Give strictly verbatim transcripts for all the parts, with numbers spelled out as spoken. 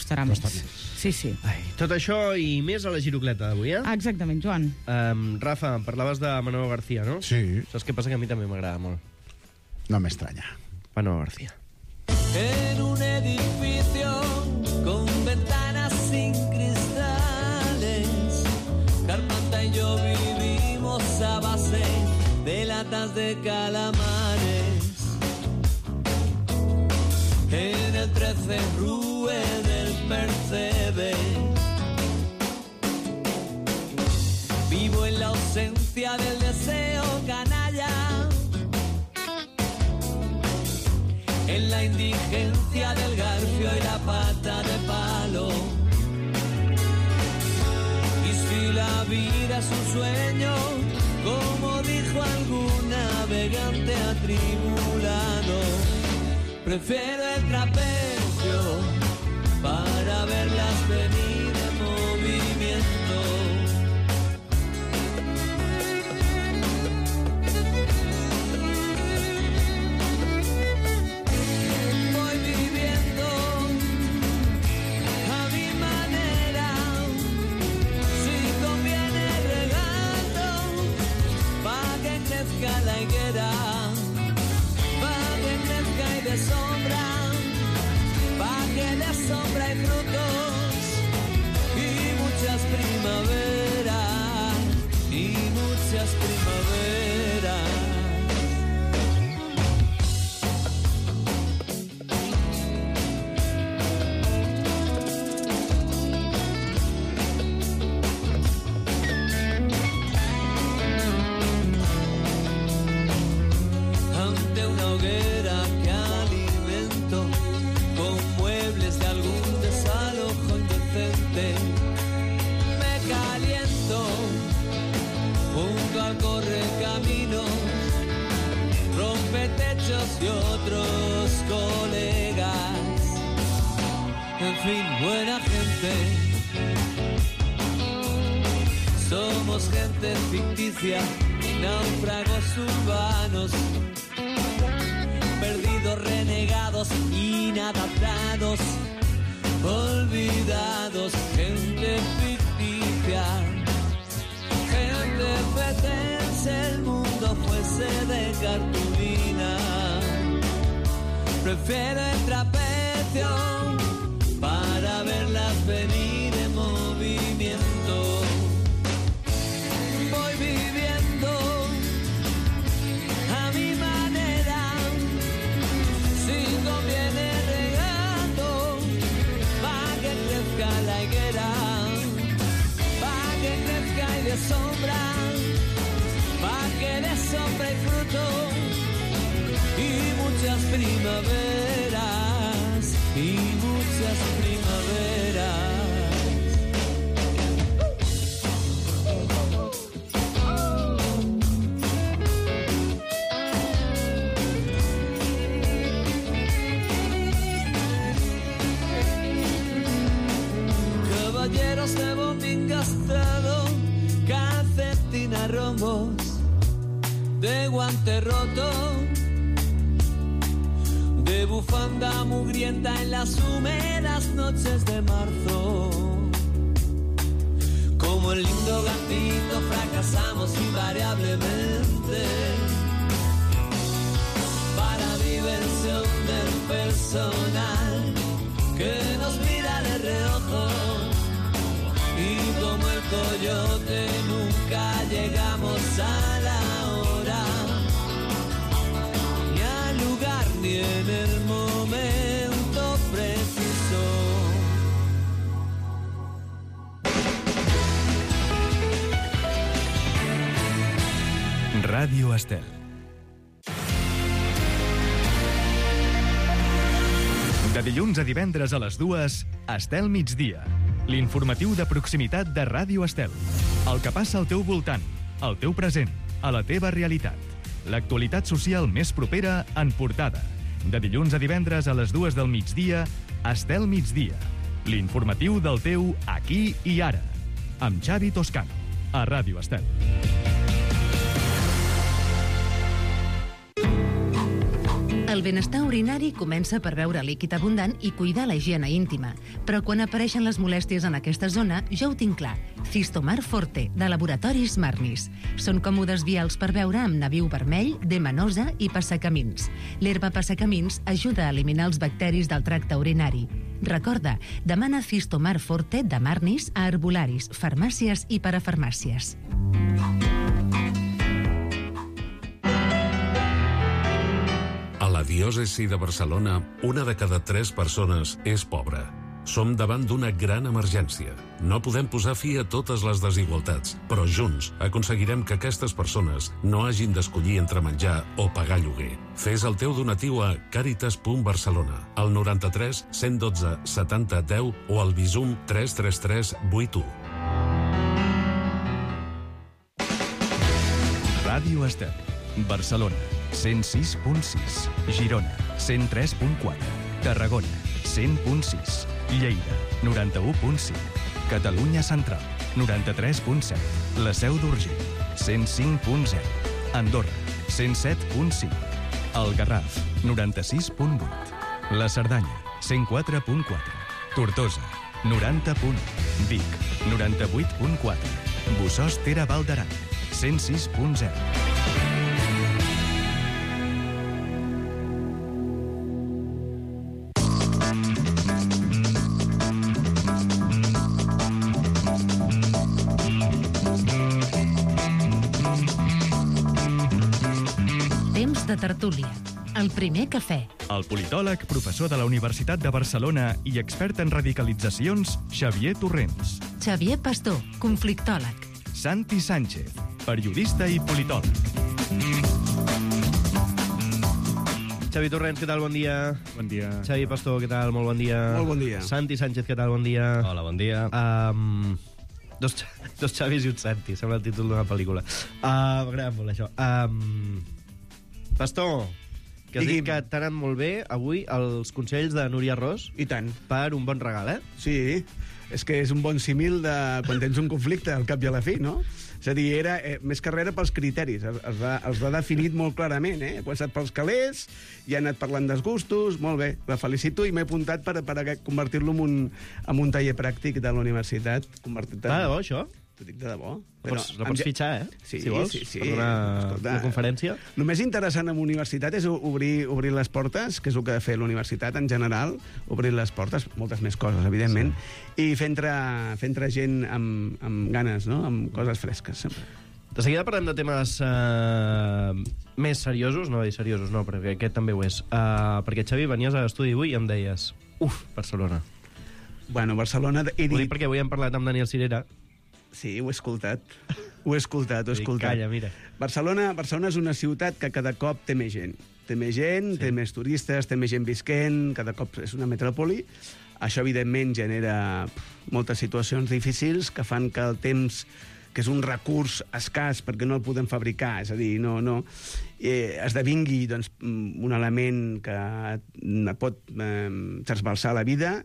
costarà més. Sí, sí. Ai, tot això i més a la Girocleta d'avui, eh? Exactament, Joan. Um, Rafa, em parlaves de Manolo García, no? Sí. Saps què passa? Que a mi també m'agrada molt. No m'estranya. Manolo García. En un edificio con ventanas sin cristales, Carpanta y yo vivimos a base de latas de calamares. En el trece Rue del Percebe vivo en la ausencia del deseo canalla, en la indigencia del garfio y la pata de palo. Y si la vida es un sueño, como dijo algún navegante atribulado, prefiero el trapecio para verlas venir en movimiento. Voy viviendo a mi manera, si conviene regando, pa' que crezca la higuera, de sombra, pa' que de sombra y frutos, y muchas primaveras, y muchas primaveras. Ante una hoguera que de algún desalojo indecente, me caliento junto al correcaminos, rompetechos y otros colegas. En fin, buena gente, somos gente ficticia, náufragos urbanos, perdidos, renegados, inadaptados, olvidados, gente ficticia, gente fetense, el mundo fuese de cartulina. Prefiero el trapecio para verlas venir en movimiento. Voy viviendo a mi manera, si conviene regando, pa' que crezca la higuera, pa' que crezca y de sombra, pa' que de sombra y fruto, y muchas primaveras, y muchas primaveras. Caballeros de bombín gastado, calcetín a rombos, de guante roto, de bufanda mugrienta en las húmedas noches de marzo. Como el lindo gatito fracasamos invariablemente para diversión del personal que nos mira de reojo. Y como el coyote nunca llegamos a la hora, ni al lugar ni en el momento preciso. Ràdio Estel. De dilluns a divendres a les dues, Estel migdia. L'informatiu de proximitat de Ràdio Estel. El que passa al teu voltant, al teu present, a la teva realitat. L'actualitat social més propera en portada. De dilluns a divendres a les dues del migdia, Estel migdia. L'informatiu del teu aquí i ara. Amb Xavi Toscano, a Ràdio Estel. El benestar urinari comença per beure líquid abundant i cuidar la higiene íntima. Però quan apareixen les molèsties en aquesta zona, ja ho tinc clar. Cistomar Forte, de Laboratoris Marnis. Són còmodes vials per beure amb nabiu vermell, demanosa i passacamins. L'herba passacamins ajuda a eliminar els bacteris del tracte urinari. Recorda, demana Cistomar Forte de Marnis a herbolaris, farmàcies i parafarmàcies. A la diòcesi de Barcelona, una de cada tres persones és pobra. Som davant d'una gran emergència. No podem posar fi a totes les desigualtats, però junts aconseguirem que aquestes persones no hagin d'escollir entre menjar o pagar lloguer. Fes el teu donatiu a caritas punt barcelona, al noranta-tres cent dotze setanta deu o al Bizum tres tres tres vuit u. Ràdio Estel, Barcelona, cent sis punt sis, Girona, cent tres punt quatre, Tarragona, cent punt sis, Lleida, noranta-u punt cinc, Catalunya Central, noranta-tres punt set, La Seu d'Urgell, cent cinc punt zero, Andorra, cent set punt cinc, El Garraf, noranta-sis punt vuit, La Cerdanya, cent quatre punt quatre, Tortosa, noranta punt u, Vic, noranta-vuit punt quatre, Bossòst Ter Val d'Aran, cent sis punt zero. De tertúlia. El primer cafè. El politòleg, professor de la Universitat de Barcelona i expert en radicalitzacions, Xavier Torrents. Xavier Pastor, conflictòleg. Santi Sánchez, periodista i politòleg. Xavi Torrents, què tal? Bon dia. Bon dia. Xavi Pastor, què tal? Molt bon dia. Molt bon dia. Santi Sánchez, què tal? Bon dia. Hola, bon dia. Um, dos, dos Xavis i un Santi, sembla el títol d'una pel·lícula. Uh, M'agrada molt, això. Um, Pastor, que has dit que t'han anat molt bé avui els consells de Núria Ros. I tant. Per un bon regal, eh? Sí, és que és un bon símil de quan tens un conflicte, al cap i a la fi, no? És a dir, era eh, més que res era pels criteris. Els, els, va, els va definit molt clarament, eh? He passat pels calés, i ha anat parlant dels molt bé. La felicito i m'he apuntat per, per convertir-lo en, un, en un taller pràctic de la universitat. Convertit en... Va, de bo, això? T'ho dic de debò. La pots, la pots fitxar, eh? Sí, si vols, sí, sí. per una, una conferència. El més interessant en universitat és obrir, obrir les portes, que és el que ha de fer l'universitat en general, obrir les portes, moltes més coses, evidentment, sí. I fer entrar, fer entrar gent amb, amb ganes, no? Amb coses fresques, sempre. De seguida parlem de temes uh, més seriosos, no dir seriosos, no, perquè aquest també ho és. Uh, perquè, Xavi, venies a l'estudi avui i em deies, uf, Barcelona. Bueno, Barcelona... He dit... Ho dic perquè avui hem parlat amb Daniel Cirera. Sí, ho he escoltat. Ho he escoltat, ho he escoltat. Calla, mira. Barcelona, Barcelona és una ciutat que cada cop té més gent. Té més gent, sí. Té més turistes, té més gent visquent, cada cop és una metròpoli. Això, evidentment, genera pff, moltes situacions difícils que fan que el temps, que és un recurs escàs perquè no el podem fabricar, és a dir, no, no, eh, esdevingui doncs, un element que pot eh, trasbalsar la vida,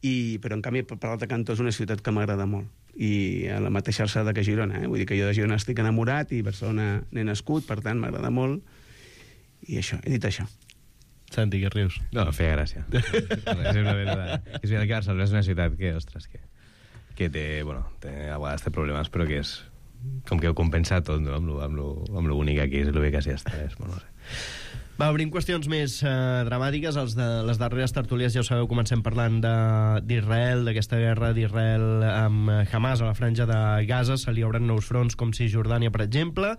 i, però, en canvi, per l'altre cantó, és una ciutat que m'agrada molt. I a la mateixa alçada que Girona, eh? Vull dir que jo de Girona estic enamorat i Barcelona n'he nascut, per tant m'agrada molt, i això, he dit això. Santi, que rius? No, feia gràcia. És una veritat. És veritat que Barcelona és una ciutat que, ostres, que, que té, bueno, té, a vegades té problemes, però que és com que ho compensa tot, no? Amb lo, amb lo, amb lo bonic aquí, és lo bé que s'hi està, és, bueno, no sé. Va, obrim qüestions més eh, dramàtiques. Els de, les darreres tertúlies, ja ho sabeu, comencem parlant d'Israel, d'aquesta guerra d'Israel amb Hamas a la franja de Gaza. Se li obren nous fronts, com Cisjordània, per exemple.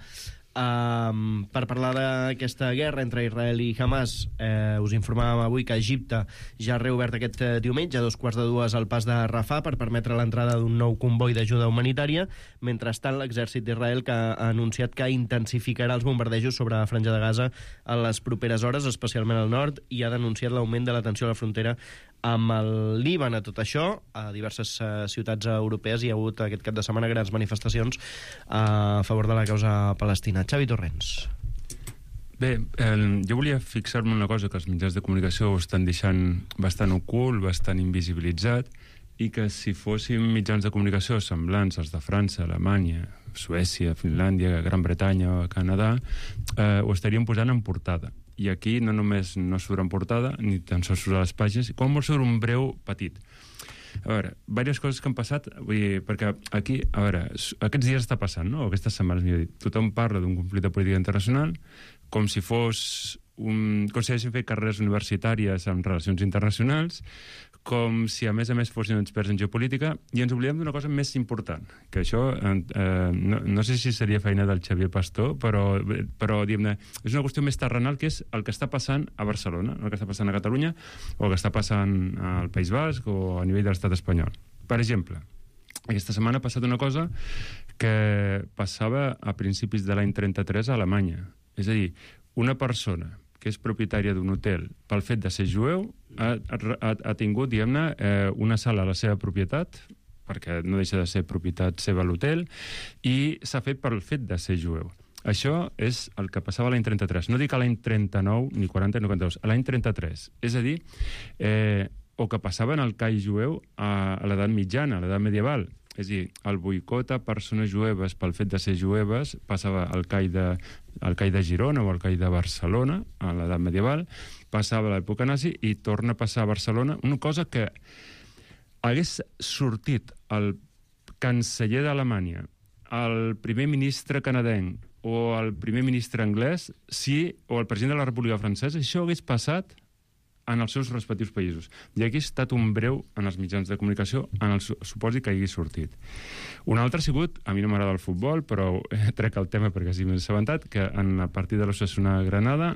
Um, per parlar d'aquesta guerra entre Israel i Hamas, eh, us informàvem avui que Egipte ja ha reobert aquest eh, diumenge a dos quarts de dues al pas de Rafah per permetre l'entrada d'un nou comboi d'ajuda humanitària. Mentrestant, l'exèrcit d'Israel que ha anunciat que intensificarà els bombardejos sobre la franja de Gaza a les properes hores, especialment al nord, i ha denunciat l'augment de la tensió a la frontera amb el Líban. A tot això, a diverses uh, ciutats europees hi ha hagut aquest cap de setmana grans manifestacions uh, a favor de la causa palestina. Xavi Torrents. Bé, eh, jo volia fixar-me en una cosa que els mitjans de comunicació ho estan deixant bastant ocult, bastant invisibilitzat, i que si fóssim mitjans de comunicació semblants als de França, Alemanya, Suècia, Finlàndia, Gran Bretanya o Canadà, eh, ho estaríem posant en portada. i aquí no només no surt en portada, ni tan sols surt a les pàgines, com molt surt un breu petit. A veure, diverses coses que han passat, vull dir, perquè aquí, a veure, aquests dies està passant, no? Aquestes setmanes, millor dit, tothom parla d'un conflicte polític internacional com si fos un... com si haguessin fet carreres universitàries en relacions internacionals, com si a més a més fossin experts en geopolítica, i ens oblidem d'una cosa més important, que això eh, no, no sé si seria feina del Xavier Pastor, però, però diguem-ne, és una qüestió més terrenal, que és el que està passant a Barcelona, el que està passant a Catalunya, o el que està passant al País Basc o a nivell de l'estat espanyol. Per exemple, aquesta setmana ha passat una cosa que passava a principis de l'any trenta-tres a Alemanya. És a dir, una persona que és propietària d'un hotel pel fet de ser jueu, ha, ha, ha tingut, diguem-ne, eh, una sala a la seva propietat, perquè no deixa de ser propietat seva l'hotel, i s'ha fet pel fet de ser jueu. Això és el que passava a l'any trenta-tres. No dic a l'any trenta-nou, ni quaranta, ni quaranta-dos, a l'any trenta-tres. És a dir, eh, o que passava en el call jueu a, a l'edat mitjana, a l'edat medieval. És a dir, el boicot a persones jueves pel fet de ser jueves passava al call de, al call de Girona o al call de Barcelona, a l'edat medieval, passava a l'època nazi i torna a passar a Barcelona, una cosa que hagués sortit el canceller d'Alemanya, el primer ministre canadenc o el primer ministre anglès, si, o el president de la República Francesa, això hagués passat en els seus respectius països. I aquí ha estat un breu en els mitjans de comunicació en el supòsit que hagi sortit. Un altre ha sigut, a mi no m'agrada el futbol, però eh, trec el tema perquè sí m'he assabentat, que en el partit de l'Osasuna Granada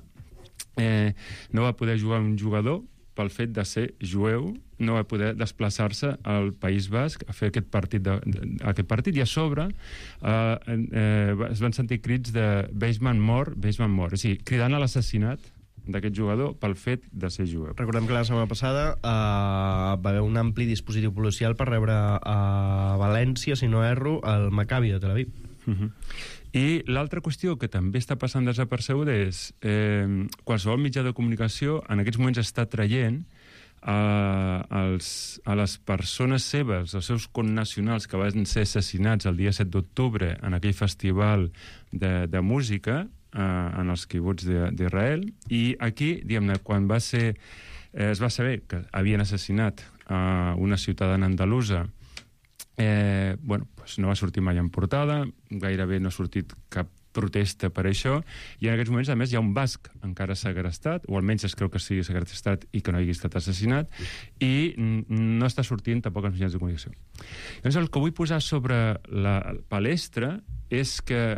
eh, no va poder jugar un jugador pel fet de ser jueu, no va poder desplaçar-se al País Basc a fer aquest partit, de, de, aquest partit i a sobre eh, eh, es van sentir crits de Beisman mort, Beisman mort, o sigui, cridant a l'assassinat d'aquest jugador pel fet de ser jueu. Recordem que la setmana passada eh, va haver un ampli dispositiu policial per rebre a València, si no erro, el Maccabi de Tel Aviv. Uh-huh. I l'altra qüestió que també està passant desapercebuda és eh, qualsevol mitjà de comunicació en aquests moments està traient a, als, a les persones seves, els seus connacionals que van ser assassinats el dia set d'octubre en aquell festival de, de música en els quibuts d'Israel, i aquí, diguem-ne, quan va ser, eh, es va saber que havien assassinat a una ciutadana andalusa, eh, bueno, pues no va sortir mai en portada, gairebé no ha sortit cap protesta per això, i en aquests moments, a més, hi ha un basc encara segrestat, o almenys es creu que sigui segrestat i que no hagi estat assassinat, i no està sortint tampoc als mitjans de comunicació. Llavors, el que vull posar sobre la palestra és que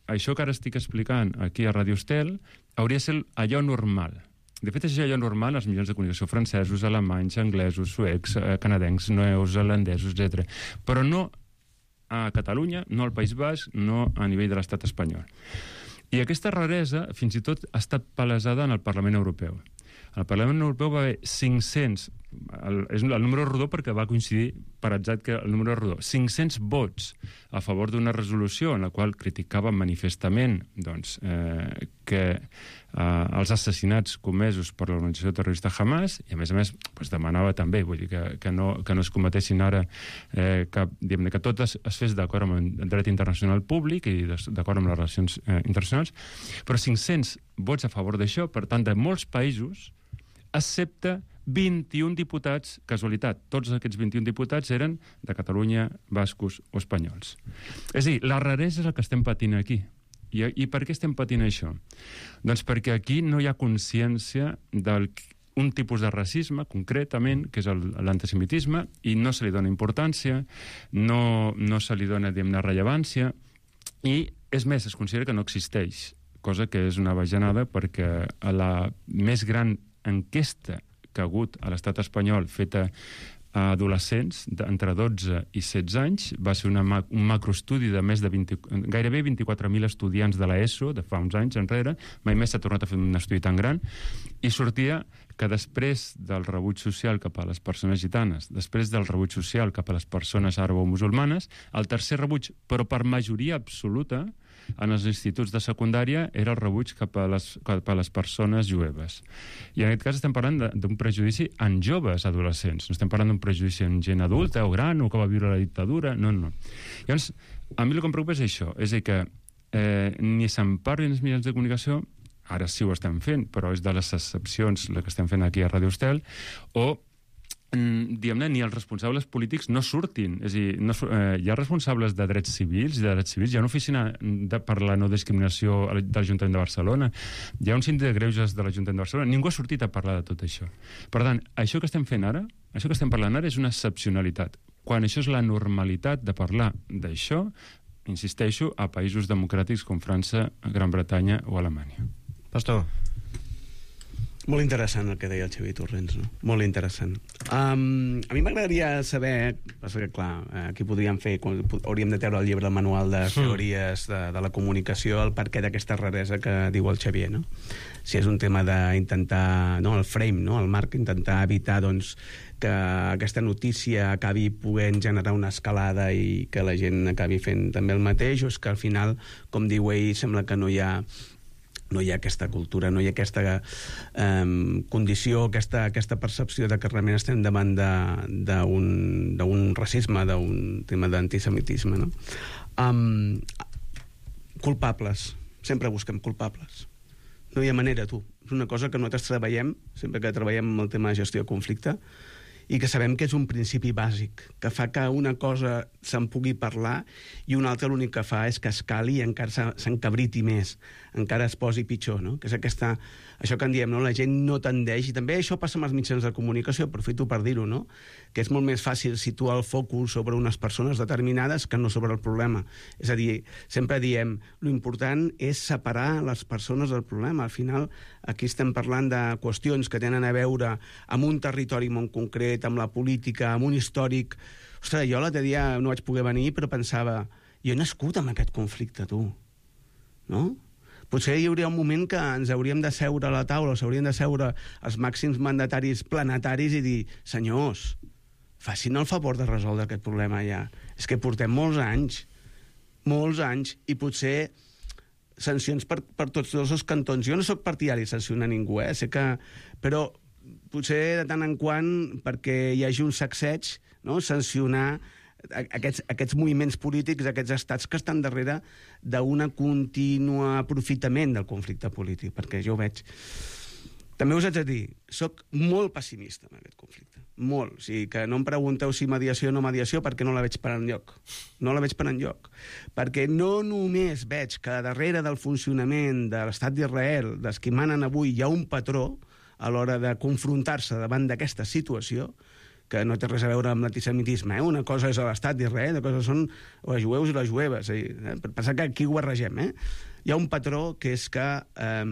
això que ara estic explicant aquí a Radio Estel hauria de ser allò normal. De fet, és allò normal als mitjans de comunicació francesos, alemanys, anglesos, suecs, canadencs, neozelandesos, etcètera. Però no a Catalunya, no al País Basc, no a nivell de l'estat espanyol. I aquesta raresa fins i tot ha estat palesada en el Parlament Europeu. Al Parlament Europeu va haver cinc-cents, el, és el número rodó perquè va coincidir per atzat que el número rodó, cinc-cents vots a favor d'una resolució en la qual criticaven manifestament doncs, eh, que eh, els assassinats comesos per l'organització terrorista Hamas, i a més a més pues, demanava també vull dir, que, que, no, que no es cometessin ara eh, que, diguem, que tot es, es fes d'acord amb el dret internacional públic i d'acord amb les relacions eh, internacionals, però cinc-cents vots a favor d'això, per tant, de molts països, excepte vint-i-un diputats, casualitat, tots aquests vint-i-un diputats eren de Catalunya, bascos o espanyols. És a dir, la raresa és el que estem patint aquí. I, i per què estem patint això? Doncs perquè aquí no hi ha consciència d'un tipus de racisme, concretament, que és l'antisemitisme, i no se li dona importància, no, no se li dona, diguem-ne, rellevància, i, és més, es considera que no existeix, cosa que és una bajanada perquè a la més gran enquesta que ha hagut a l'estat espanyol feta a adolescents entre dotze i setze anys va ser una, un macroestudi de més de vint, gairebé vint-i-quatre mil estudiants de l'ESO de fa uns anys enrere, mai més s'ha tornat a fer un estudi tan gran, i sortia que després del rebuig social cap a les persones gitanes, després del rebuig social cap a les persones àrabo-musulmanes, el tercer rebuig, però per majoria absoluta, en els instituts de secundària era el rebuig cap a les, cap a les persones jueves. I en aquest cas estem parlant d'un prejudici en joves adolescents, no estem parlant d'un prejudici en gent adulta o gran o que va viure la dictadura, no, no. Llavors, a mi el que em preocupa és això, és a dir que eh, ni se'n parli en els mitjans de comunicació ara sí ho estem fent, però és de les excepcions la que estem fent aquí a Ràdio Estel, o diguem-ne, ni els responsables polítics no surtin. És a dir, no, eh, hi ha responsables de drets civils i de drets civils, hi ha una oficina de, per la no discriminació de l'Ajuntament de Barcelona, hi ha un síndic de greuges de l'Ajuntament de Barcelona, ningú ha sortit a parlar de tot això. Per tant, això que estem fent ara, això que estem parlant ara és una excepcionalitat. Quan això és la normalitat de parlar d'això, insisteixo, a països democràtics com França, Gran Bretanya o Alemanya. Pastor. Molt interessant el que deia el Xavier Torrents, no? Molt interessant. Um, a mi m'agradaria saber, perquè clar, aquí podríem fer, hauríem de treure el llibre, el manual de teories de, de la comunicació, el perquè d'aquesta raresa que diu el Xavier, no? Si és un tema d'intentar, no, el frame, no, el marc, intentar evitar, doncs, que aquesta notícia acabi podent generar una escalada i que la gent acabi fent també el mateix, o és que al final, com diu ell, sembla que no hi ha no hi ha aquesta cultura, no hi ha aquesta eh, condició, aquesta, aquesta percepció de que realment estem davant d'un racisme, d'un tema d'antisemitisme, no? Um, culpables. Sempre busquem culpables. No hi ha manera, tu. És una cosa que nosaltres treballem, sempre que treballem amb el tema de gestió de conflicte, i que sabem que és un principi bàsic, que fa que una cosa se'n pugui parlar i una altra l'únic que fa és que escali i encara s'encabriti més, encara es posi pitjor, no? Que és aquesta, això que en diem, no? La gent no tendeix, i també això passa amb els mitjans de comunicació, aprofito per dir-ho, no? Que és molt més fàcil situar el focus sobre unes persones determinades que no sobre el problema. És a dir, sempre diem, lo important és separar les persones del problema. Al final, aquí estem parlant de qüestions que tenen a veure amb un territori molt concret, amb la política, amb un històric. Ostres, jo l'altre dia no vaig poder venir, però pensava, jo he nascut amb aquest conflicte, tu. No? Potser hi hauria un moment que ens hauríem de seure a la taula, s'haurien de seure els màxims mandataris planetaris i dir, senyors, facin el favor de resoldre aquest problema ja. És que portem molts anys, molts anys, i potser sancions per, per tots dos els cantons. Jo no sóc partidari de sancionar ningú, eh? Sé que... Però potser de tant en quant, perquè hi hagi un sacseig, no? Sancionar aquests, aquests moviments polítics, aquests estats que estan darrere d'un continu aprofitament del conflicte polític, perquè jo ho veig. També us haig de dir, soc molt pessimista en aquest conflicte, molt. O sigui, que no em pregunteu si mediació o no mediació, perquè no la veig per enlloc. No la veig per enlloc. Perquè no només veig que darrere del funcionament de l'estat d'Israel, dels que manen avui, hi ha un patró a l'hora de confrontar-se davant d'aquesta situació, que no té res a veure amb l'antisemitisme, eh? Una cosa és l'estat d'Israel, una cosa són els jueus i les jueves, eh? Per pensar que aquí ho barregem, eh? Hi ha un patró que és que eh,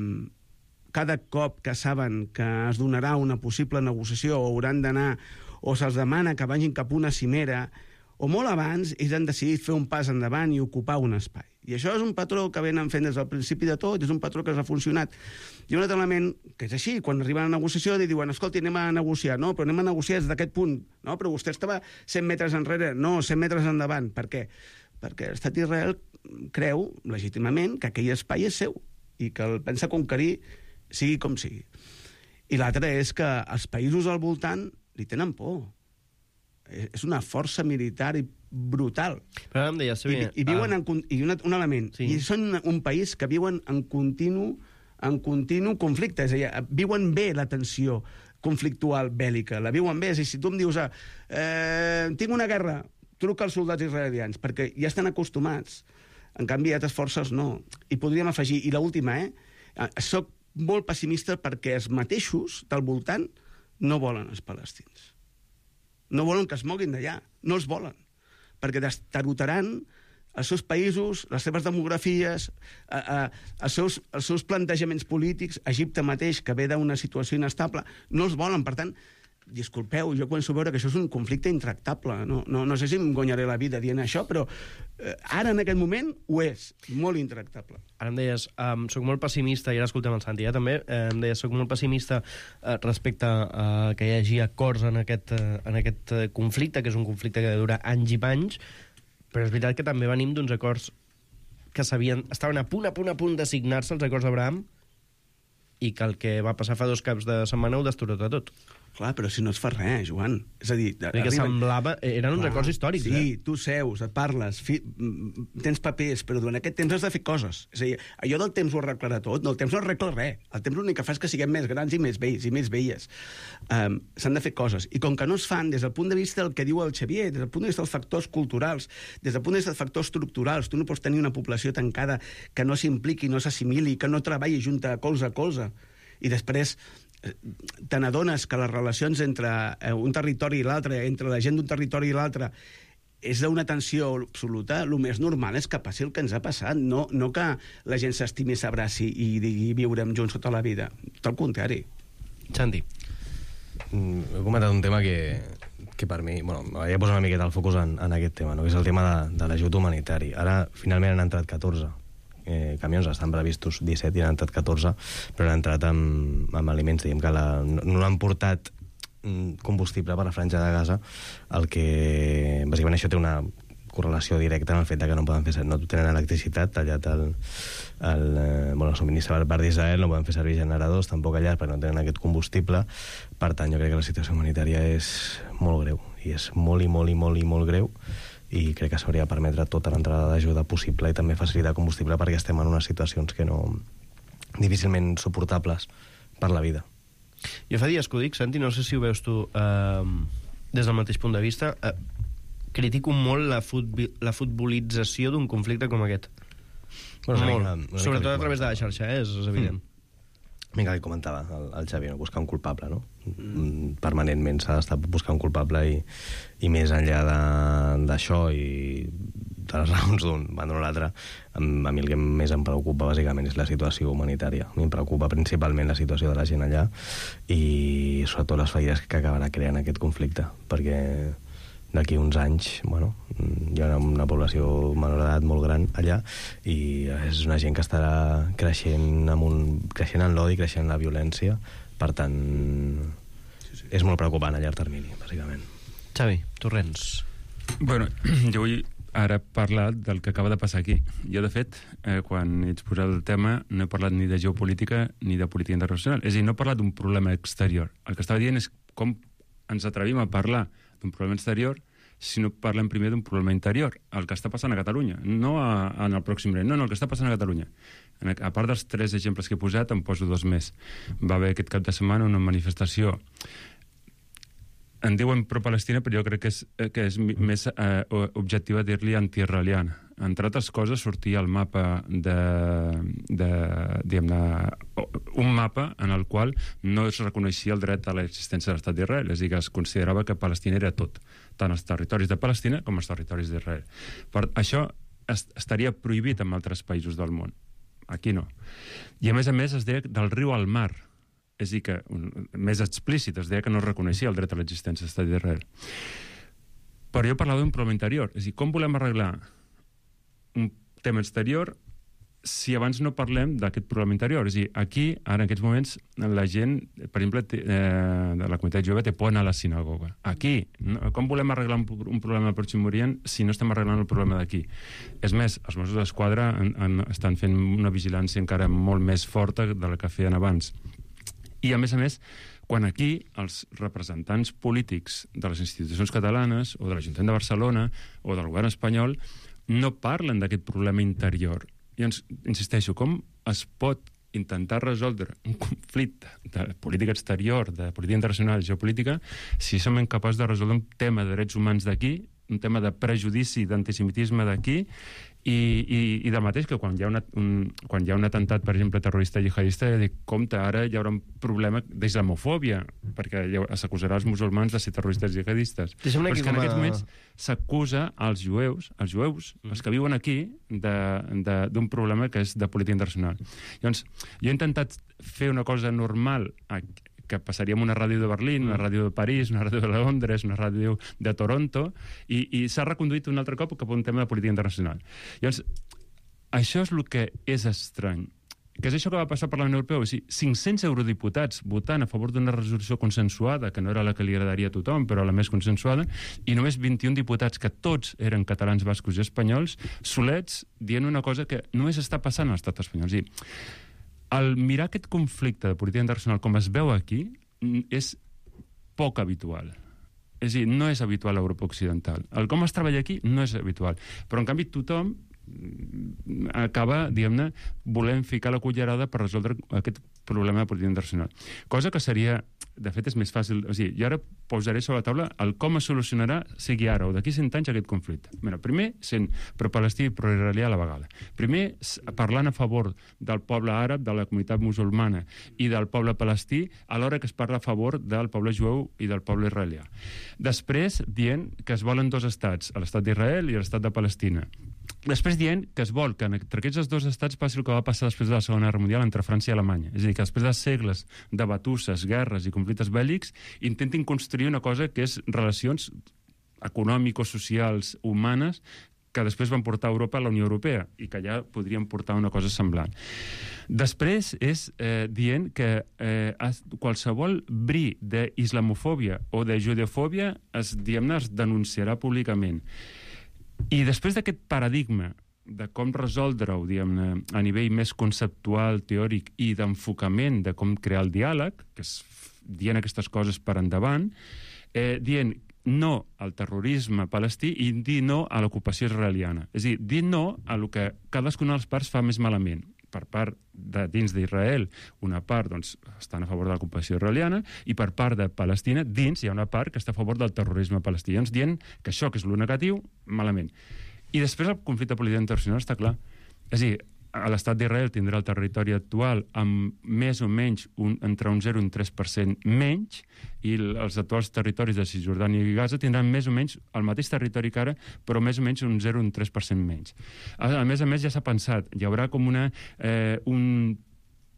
cada cop que saben que es donarà una possible negociació o hauran d'anar, o se'ls demana que vagin cap a una cimera, o molt abans ells han decidit fer un pas endavant i ocupar un espai. I això és un patró que venen fent des del principi de tot, és un patró que ha funcionat. I un altre element, que és així, quan arriben a la negociació i diuen, escolti, anem a negociar, no, però anem a negociar des d'aquest punt, no, però vostè estava cent metres enrere, no, cent metres endavant. Per què? Perquè l'estat d'Israel creu, legítimament, que aquell espai és seu i que el pensa conquerir sigui com sigui. I l'altre és que els països al voltant li tenen por. És una força militar brutal. Però em deies, I, i viuen ah. en, i un, un element, sí. I són un país que viuen en continu, en continu conflicte, és a dir, viuen bé la tensió conflictual bèl·lica, la viuen bé. És a dir, si tu em dius, eh, tinc una guerra, truca als soldats israelians, perquè ja estan acostumats. En canvi, altres forces no. I podríem afegir, i l'última, eh? Soc molt pessimista perquè els mateixos del voltant no volen els palestins. No volen que es moguin d'allà, no els volen, perquè destarotaran els seus països, les seves demografies, a, a, els, seus, els seus plantejaments polítics. Egipte mateix, que ve d'una situació inestable, no els volen. Per tant, disculpeu, jo començo a veure que això és un conflicte intractable. No, no, no sé si em guanyaré la vida dient això, però eh, ara, en aquest moment, ho és. Molt intractable. Ara em deies, um, soc molt pessimista, i ara escoltem el Santi, eh, també, eh, em deies, soc molt pessimista eh, respecte a uh, que hi hagi acords en aquest, uh, en aquest uh, conflicte, que és un conflicte que dura anys i panys, però és veritat que també venim d'uns acords que sabien, estaven a punt, a punt, a punt de signar-se, els acords d'Abraham, i que el que va passar fa dos caps de setmana ho destorota tot. Clar, però si no es fa res, Joan. És a dir... Que arriba... semblava... Eren uns acords històrics, sí, eh? Sí, tu seus, et parles, fi... tens papers, però durant aquest temps has de fer coses. És a dir, allò del temps ho arreglarà tot. No, el temps no arregla res. El temps l'únic que fa és que siguem més grans i més vells i més velles. Um, S'han de fer coses. I com que no es fan des del punt de vista del que diu el Xavier, des del punt de vista dels factors culturals, des del punt de vista dels factors estructurals, tu no pots tenir una població tancada que no s'impliqui, no s'assimili, que no treballi junta colze a colze. I després te n'adones que les relacions entre un territori i l'altre, entre la gent d'un territori i l'altre, és d'una tensió absoluta. El més normal és que passi el que ens ha passat, no, no que la gent s'estimi, s'abraci i digui viurem junts tota la vida. Tot el contrari. Santi. Mm, he comentat un tema que, que per mi... Bueno, m'havia posat una miqueta el focus en, en aquest tema, no? Que és el tema de, de l'ajut humanitari. Ara, finalment, han entrat catorze eh, camions, estan previstos disset i han entrat catorze, però han entrat amb, amb aliments, diguem que la, no, no han portat combustible per la franja de Gaza, el que bàsicament això té una correlació directa amb el fet que no poden fer, no tenen electricitat, tallat el, el, bueno, el subministre per part d'Israel, no poden fer servir generadors tampoc allà perquè no tenen aquest combustible. Per tant, jo crec que la situació humanitària és molt greu, i és molt i molt i molt i molt greu, i crec que s'hauria de permetre tota l'entrada d'ajuda possible i també facilitar combustible perquè estem en unes situacions que no... difícilment suportables per la vida. Jo fa dies que ho dic, Santi, no sé si ho veus tu eh, des del mateix punt de vista, eh, critico molt la, futbi, la futbolització d'un conflicte com aquest. Bueno, molt. Una, una Sobretot a través de la xarxa, eh? És, és evident. Mm. Vinga, que comentava el, el Xavi, no? Buscar un culpable, no? Mm. Permanentment s'ha d'estar buscant un culpable i, i més enllà d'això i de les raons d'un banda o l'altre, a mi el que més em preocupa bàsicament és la situació humanitària. A mi em preocupa principalment la situació de la gent allà i sobretot les ferides que acabarà creant aquest conflicte, perquè d'aquí uns anys, bueno, hi ha una, una població menor d'edat molt gran allà i és una gent que estarà creixent, amb un, creixent en l'odi, creixent en la violència. Per tant, sí, sí. És molt preocupant a llarg termini, bàsicament. Xavi, Torrents. Bueno, jo vull ara parlar del que acaba de passar aquí. Jo, de fet, eh, quan ets posat el tema, no he parlat ni de geopolítica ni de política internacional. És a dir, no he parlat d'un problema exterior. El que estava dient és com ens atrevim a parlar d'un problema exterior si no parlem primer d'un problema interior, el que està passant a Catalunya, no a, a, en el Pròxim Orient, no, no, el que està passant a Catalunya. En, a part dels tres exemples que he posat, en poso dos més. Va haver aquest cap de setmana una manifestació, en diuen pro-Palestina, però jo crec que és, que és més eh, objectiva dir-li anti-israeliana. Entre altres coses, sortia el mapa de, de diguem-ne, un mapa en el qual no es reconeixia el dret a l'existència de l'estat d'Israel, és a dir, que es considerava que Palestina era tot, tant els territoris de Palestina com els territoris d'Israel. Per això est estaria prohibit en altres països del món. Aquí no. I a més a més es deia del riu al mar, és a dir, que un, més explícit, es deia que no es reconeixia el dret a l'existència de l'estat d'Israel. Però jo parlava d'un problema interior, és a dir, com volem arreglar un tema exterior si abans no parlem d'aquest problema interior? És a dir, aquí, ara en aquests moments, la gent, per exemple, té, eh, de la comunitat jove té por anar a la sinagoga. Aquí, no? Com volem arreglar un, un problema al Pròxim Orient si no estem arreglant el problema d'aquí? És més, els Mossos d'Esquadra estan fent una vigilància encara molt més forta de la que feien abans. I, a més a més, quan aquí els representants polítics de les institucions catalanes o de l'Ajuntament de Barcelona o del govern espanyol no parlen d'aquest problema interior. I ens, insisteixo, com es pot intentar resoldre un conflicte de política exterior, de política internacional, geopolítica, si som incapaços de resoldre un tema de drets humans d'aquí, un tema de prejudici, d'antisemitisme d'aquí, i, i, i del mateix que quan hi ha, una, un, quan hi ha un atemptat, per exemple, terrorista jihadista, dic, compte, ara hi haurà un problema d'islamofòbia, perquè s'acusarà els musulmans de ser terroristes jihadistes. Però és que en aquests moments s'acusa als jueus, els jueus, els que viuen aquí, d'un problema que és de política internacional. Llavors, jo he intentat fer una cosa normal aquí, que passaria amb una ràdio de Berlín, una ràdio de París, una ràdio de Londres, una ràdio de Toronto, i, i s'ha reconduït un altre cop cap a un tema de política internacional. Llavors, això és el que és estrany. Que és això que va passar al Parlament Europeu. És a dir, cinc-cents eurodiputats votant a favor d'una resolució consensuada, que no era la que li agradaria a tothom, però la més consensuada, i només vint-i-un diputats, que tots eren catalans, bascos i espanyols, solets, dient una cosa que només està passant a l'estat espanyol. És a dir, al mirar aquest conflicte de política internacional com es veu aquí, és poc habitual. És a dir, no és habitual a Europa Occidental. El com es treballa aquí no és habitual. Però, en canvi, tothom acaba, diguem-ne, volent ficar la cullerada per resoldre aquest problema de política internacional. Cosa que seria, de fet, és més fàcil. O sigui, jo ara posaré sobre la taula el com es solucionarà, sigui ara o d'aquí cent anys, aquest conflicte. Mira, primer, sent pro-palestí i pro-israelià a la vegada. Primer, parlant a favor del poble àrab, de la comunitat musulmana i del poble palestí, alhora que es parla a favor del poble jueu i del poble israelià. Després, dient que es volen dos estats, l'estat d'Israel i l'estat de Palestina. Després dient que es vol que entre aquests dos estats passi el que va passar després de la Segona Guerra Mundial entre França i Alemanya. És a dir, que després de segles de batusses, guerres i conflictes bèl·lics intentin construir una cosa que és relacions econòmiques, socials, humanes, que després van portar a Europa a la Unió Europea i que ja podrien portar una cosa semblant. Després és eh, dient que eh, qualsevol bri d'islamofòbia o de judeofòbia es, diguem-ne, es denunciarà públicament. I després d'aquest paradigma de com resoldre-ho, diguem-ne, a nivell més conceptual, teòric i d'enfocament de com crear el diàleg, que és dient aquestes coses per endavant, eh, dient no al terrorisme palestí i dir no a l'ocupació israeliana. És a dir, dir no a el que cadascuna de les parts fa més malament. Per part de dins d'Israel, una part doncs, estan a favor de l'ocupació israeliana i per part de Palestina, dins hi ha una part que està a favor del terrorisme palestí. Llavors dient que això, que és lo negatiu, malament. I després el conflicte polític internacional està clar. És a dir, l'estat d'Israel tindrà el territori actual amb més o menys un, entre un zero i un tres per cent menys i els actuals territoris de Cisjordània i Gaza tindran més o menys el mateix territori que ara, però més o menys un zero i un tres per cent menys. A, a més a més, ja s'ha pensat, hi haurà com una, eh, un,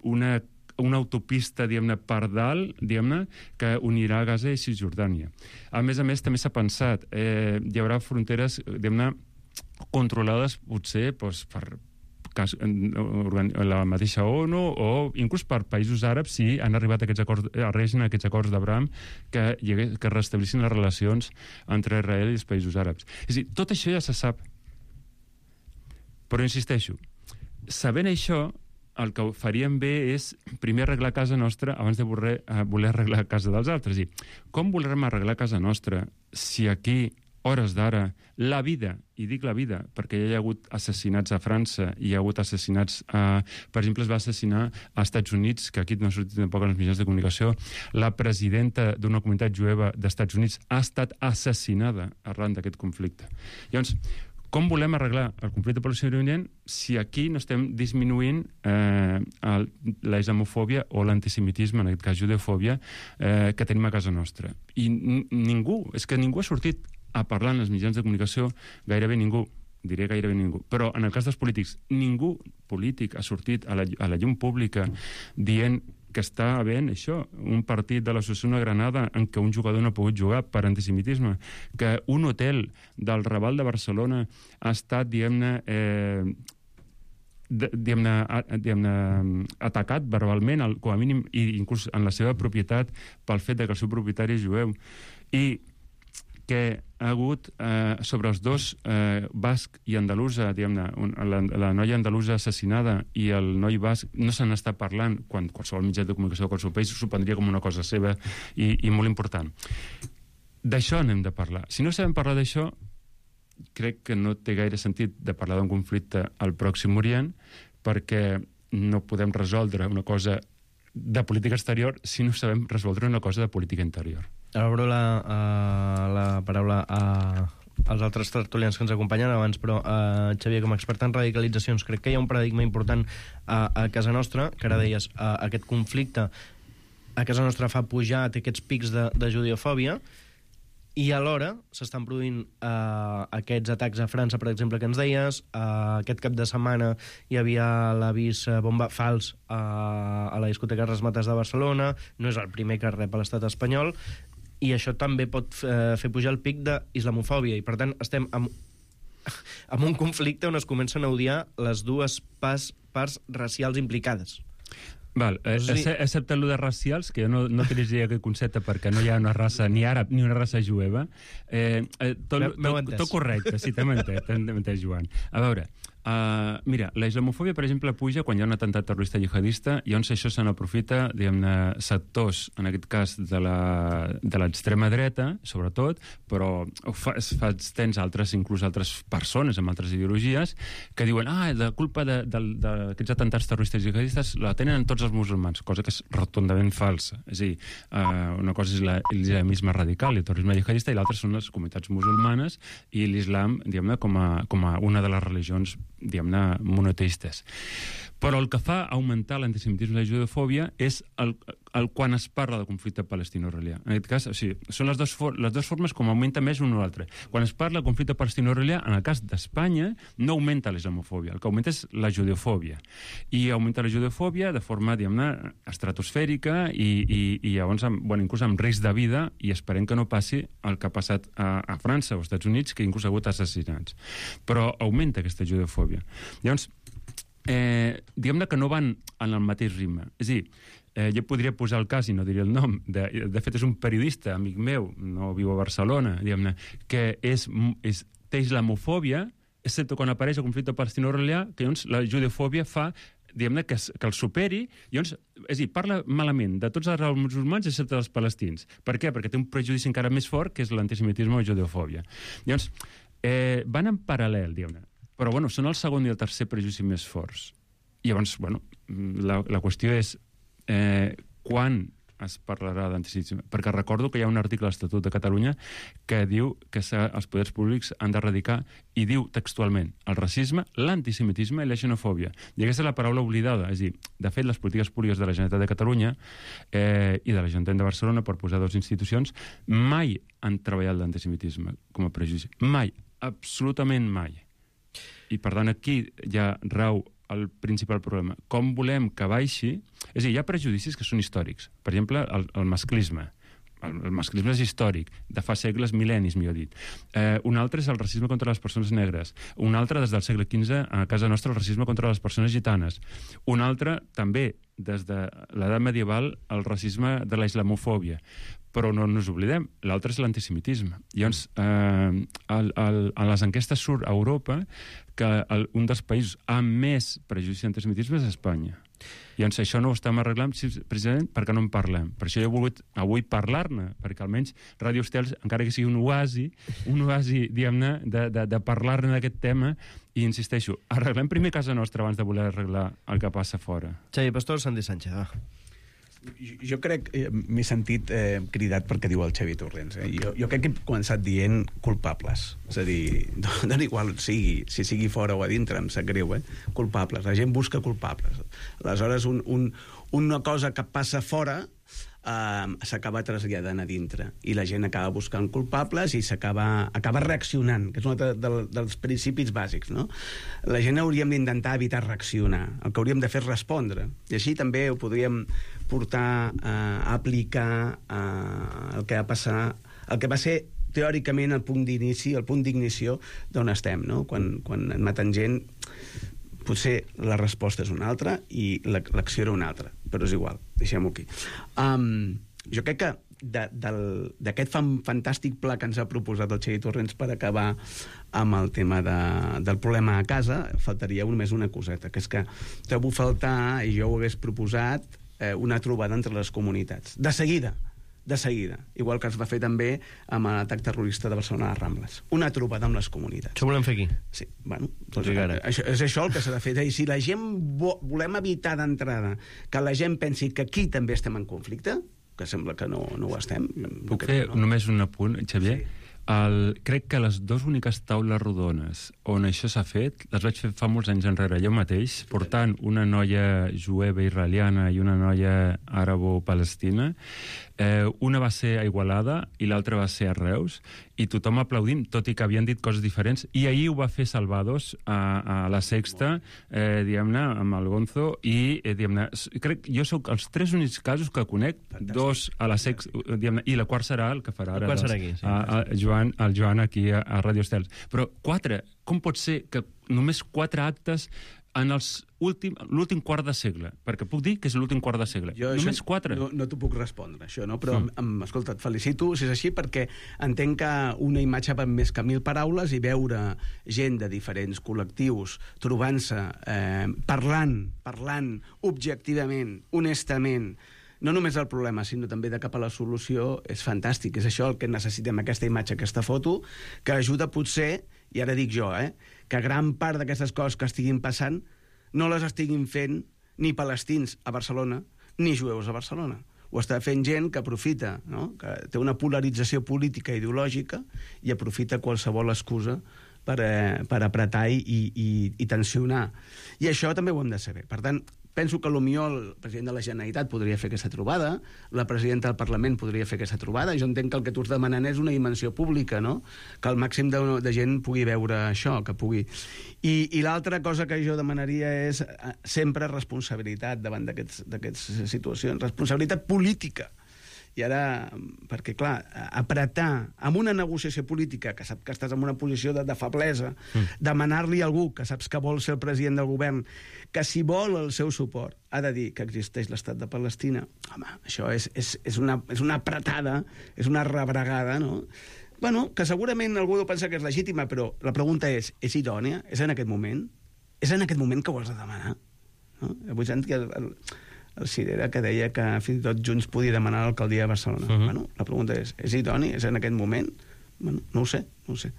una, una autopista, diguem-ne, per dalt, diguem-ne, que unirà Gaza i Cisjordània. A més a més, també s'ha pensat, eh, hi haurà fronteres, diguem-ne, controlades potser doncs, per la mateixa ONU o inclús per països àrabs si han arribat a aquests acords, arriben a aquests acords d'Abraham que, que restablissin les relacions entre Israel i els països àrabs. És a dir, tot això ja se sap. Però insisteixo, sabent això, el que faríem bé és primer arreglar casa nostra abans de voler, voler arreglar casa dels altres. És a dir, com volerem arreglar casa nostra si aquí hores d'ara, la vida, i dic la vida, perquè hi ha hagut assassinats a França, hi ha hagut assassinats, a, per exemple, es va assassinar als Estats Units, que aquí no ha sortit tampoc en els mitjans de comunicació, la presidenta d'una comunitat jueva dels Estats Units ha estat assassinada arran d'aquest conflicte. Llavors, com volem arreglar el conflicte palestino-israelià si aquí no estem disminuint eh, el, la islamofòbia o l'antisemitisme, en aquest cas judeofòbia, eh, que tenim a casa nostra? I ningú, és que ningú ha sortit a parlar en els mitjans de comunicació, gairebé ningú, diré gairebé ningú, però en el cas dels polítics, ningú polític ha sortit a la, a la llum pública dient que està havent això, un partit de l'Associació Granada en què un jugador no ha pogut jugar per antisemitisme, que un hotel del Raval de Barcelona ha estat, diguem-ne, eh, diguem-ne, diguem-ne, atacat verbalment, com a mínim, i inclús en la seva propietat, pel fet que el seu propietari és jueu. I que ha hagut eh, sobre els dos, eh, basc i andalusa, diguem-ne, la, la noia andalusa assassinada i el noi basc, no se n'està parlant, quan qualsevol mitjà de comunicació de qualsevol país s'ho prendria com una cosa seva i, i molt important. D'això n'hem de parlar. Si no sabem parlar d'això, crec que no té gaire sentit de parlar d'un conflicte al Pròxim Orient, perquè no podem resoldre una cosa de política exterior si no sabem resoldre una cosa de política interior. Ara obro la, uh, la paraula a, als altres tertulians que ens acompanyen abans, però uh, Xavier, com a expert en radicalitzacions, crec que hi ha un paradigma important a, a casa nostra, que ara deies, uh, aquest conflicte a casa nostra fa pujar, té aquests pics de, de judeofòbia, i alhora s'estan produint uh, aquests atacs a França, per exemple, que ens deies. Uh, aquest cap de setmana hi havia l'avís uh, bomba fals uh, a la discoteca Rasmates de Barcelona, no és el primer que rep a l'estat espanyol, i això també pot uh, fer pujar el pic d'islamofòbia, i per tant estem amb, amb un conflicte on es comencen a odiar les dues pas, parts racials implicades. Val, eh, sí. Excepte el de racials, que jo no, no utilitzaria aquest concepte perquè no hi ha una raça ni àrab ni una raça jueva, eh, eh, tot, tot, tot correcte, sí, t'hem entès, t'hem entès, Joan. A veure, Uh, mira, la islamofòbia, per exemple, puja quan hi ha un atemptat terrorista jihadista i llavors això se n'aprofita, diguem-ne, sectors, en aquest cas de la, de l'extrema dreta, sobretot, però fa, es fa extens a altres, inclús altres persones amb altres ideologies, que diuen, ah, la culpa d'aquests atemptats terroristes jihadistes la tenen tots els musulmans, cosa que és rotundament falsa. És a dir, uh, una cosa és l'islamisme radical i el terrorisme jihadista i l'altra són les comunitats musulmanes i l'islam, diguem-ne, com, a, com a una de les religions, diguem-ne, monoteistes. Però el que fa augmentar l'antisemitisme i la judefòbia és el, el quan es parla de conflicte palestino-israelià. En aquest cas, o sigui, són les dues, for les dues formes com augmenta més un o l'altre. Quan es parla de conflicte palestino-israelià, en el cas d'Espanya, no augmenta la islamofòbia, el que augmenta és la judefòbia. I augmenta la judefòbia de forma, diguem-ne, estratosfèrica i, i, i llavors, amb, bueno, inclús amb risc de vida, i esperem que no passi el que ha passat a, a França o als Estats Units, que inclús ha hagut assassinats. Però augmenta aquesta judefòbia. Llavors, Eh, diguem-ne que no van en el mateix ritme. És a dir, eh, jo podria posar el cas, i no diré el nom, de, de fet és un periodista, amic meu, no viu a Barcelona, diguem-ne, que és, és, té islamofòbia, excepte quan apareix el conflicte palestino-israelià, que llavors la judefòbia fa diguem-ne, que, que el superi, i llavors, és a dir, parla malament de tots els musulmans excepte dels palestins. Per què? Perquè té un prejudici encara més fort, que és l'antisemitisme o la judefòbia. Llavors, eh, van en paral·lel, diguem-ne. Però, bueno, són el segon i el tercer prejudici més forts. I llavors, bueno, la, la qüestió és eh, quan es parlarà d'antisemitisme. Perquè recordo que hi ha un article a l'Estatut de Catalunya que diu que els poders públics han d'erradicar, i diu textualment, el racisme, l'antisemitisme i la xenofòbia. I aquesta és la paraula oblidada. És a dir, de fet, les polítiques públiques de la Generalitat de Catalunya eh, i de l'Ajuntament de Barcelona, per posar dues institucions, mai han treballat l'antisemitisme com a prejudici. Mai. Absolutament mai. I, per tant, aquí ja rau el principal problema. Com volem que baixi... És a dir, hi ha prejudicis que són històrics. Per exemple, el, el masclisme. El, el masclisme és històric, de fa segles, mil·lennis, millor dit. Eh, un altre és el racisme contra les persones negres. Un altre, des del segle quinze, a casa nostra, el racisme contra les persones gitanes. Un altre, també, des de l'edat medieval, el racisme de la islamofòbia. Però no ens oblidem, l'altre és l'antisemitisme. Llavors, eh, el, el, a les enquestes surt a Europa que el, un dels països amb més prejudici d'antisemitisme és Espanya. Llavors, això no ho estem arreglant precisament perquè no en parlem. Per això jo he volgut avui parlar-ne, perquè almenys Ràdio Estel, encara que sigui un oasi, un oasi, diguem-ne, de, de, de parlar-ne d'aquest tema, i insisteixo, arreglem primer casa nostra abans de voler arreglar el que passa fora. Xavi Pastor, Santi Sánchez, va. Jo crec, eh, m'he sentit eh, cridat perquè diu el Xavi Torrents. Eh? Jo, jo crec que he començat dient culpables. És a dir, dona igual sigui, si sigui fora o a dintre, em sap greu, eh? Culpables. La gent busca culpables. Aleshores, un, un, una cosa que passa fora Uh, s'acaba traslladant a dintre i la gent acaba buscant culpables i s'acaba acaba reaccionant, que és un altre de, dels principis bàsics, no? La gent hauríem d'intentar evitar reaccionar, el que hauríem de fer és respondre, i així també ho podríem portar uh, a aplicar uh, el que va passar, el que va ser teòricament el punt d'inici, el punt d'ignició d'on estem, no? Quan, quan en maten gent, potser la resposta és una altra i l'acció era una altra, però és igual, deixem-ho aquí. Um, jo crec que d'aquest fantàstic pla que ens ha proposat el Xavi Torrents per acabar amb el tema de, del problema a casa, faltaria només una coseta, que és que trobo faltar, i jo ho hagués proposat, eh, una trobada entre les comunitats. De seguida, de seguida, igual que es va fer també amb l'atac terrorista de Barcelona a les Rambles. Una trobada amb les comunitats. Això volem fer aquí? Sí, bueno, doncs, això, és això el que s'ha de fer. I si la gent vo volem evitar d'entrada que la gent pensi que aquí també estem en conflicte, que sembla que no, no ho estem... Puc fer no. només un apunt, Xavier? Sí. El, crec que les dues úniques taules rodones on això s'ha fet, les vaig fer fa molts anys enrere jo mateix, portant una noia jueva israeliana i una noia àrabo-palestina. Eh, una va ser a Igualada i l'altra va ser a Reus, i tothom aplaudint, tot i que havien dit coses diferents. I ahir ho va fer Salvados a, a la Sexta, eh, diguem-ne, amb el Gonzo, i eh, diguem-ne, crec jo sóc els tres únics casos que conec, fantàstic. Dos a la Sexta, diguem-ne, i la quart serà el que farà ara doncs, aquí, sí, a, a Joan, el Joan aquí a, a Ràdio Estels. Però quatre, com pot ser que només quatre actes en els últim, l'últim quart de segle, perquè puc dir que és l'últim quart de segle. Jo Només quatre. No, no t'ho puc respondre, això, no? Però, Mm. em, escolta, et felicito si és així, perquè entenc que una imatge va més que mil paraules i veure gent de diferents col·lectius trobant-se, eh, parlant, parlant objectivament, honestament, no només el problema, sinó també de cap a la solució, és fantàstic. És això el que necessitem, aquesta imatge, aquesta foto, que ajuda potser, i ara dic jo, eh, que gran part d'aquestes coses que estiguin passant no les estiguin fent ni palestins a Barcelona, ni jueus a Barcelona. Ho està fent gent que aprofita, no? Que té una polarització política i ideològica i aprofita qualsevol excusa per, eh, per apretar i, i, i tensionar. I això també ho hem de saber. Per tant, penso que potser el president de la Generalitat podria fer aquesta trobada, la presidenta del Parlament podria fer aquesta trobada. Jo entenc que el que tu estàs demanant és una dimensió pública, no? Que el màxim de, de gent pugui veure això, que pugui... I, i l'altra cosa que jo demanaria és eh, sempre responsabilitat davant d'aquestes situacions, responsabilitat política. I ara, perquè clar, apretar amb una negociació política, que sap que estàs en una posició de, de feblesa, mm. demanar-li a algú que saps que vol ser el president del govern, que si vol el seu suport ha de dir que existeix l'estat de Palestina, home, això és, és, és, una, és una apretada, és una rebregada, no? Bueno, que segurament algú deu pensar que és legítima, però la pregunta és, és idònia? És en aquest moment? És en aquest moment que ho has de demanar? No? Avui sent que... El, el, el Cirera, que deia que fins i tot Junts podia demanar l'alcaldia de Barcelona. Uh -huh. Bueno, la pregunta és, és idoni? És en aquest moment? Bueno, no ho sé, no ho sé.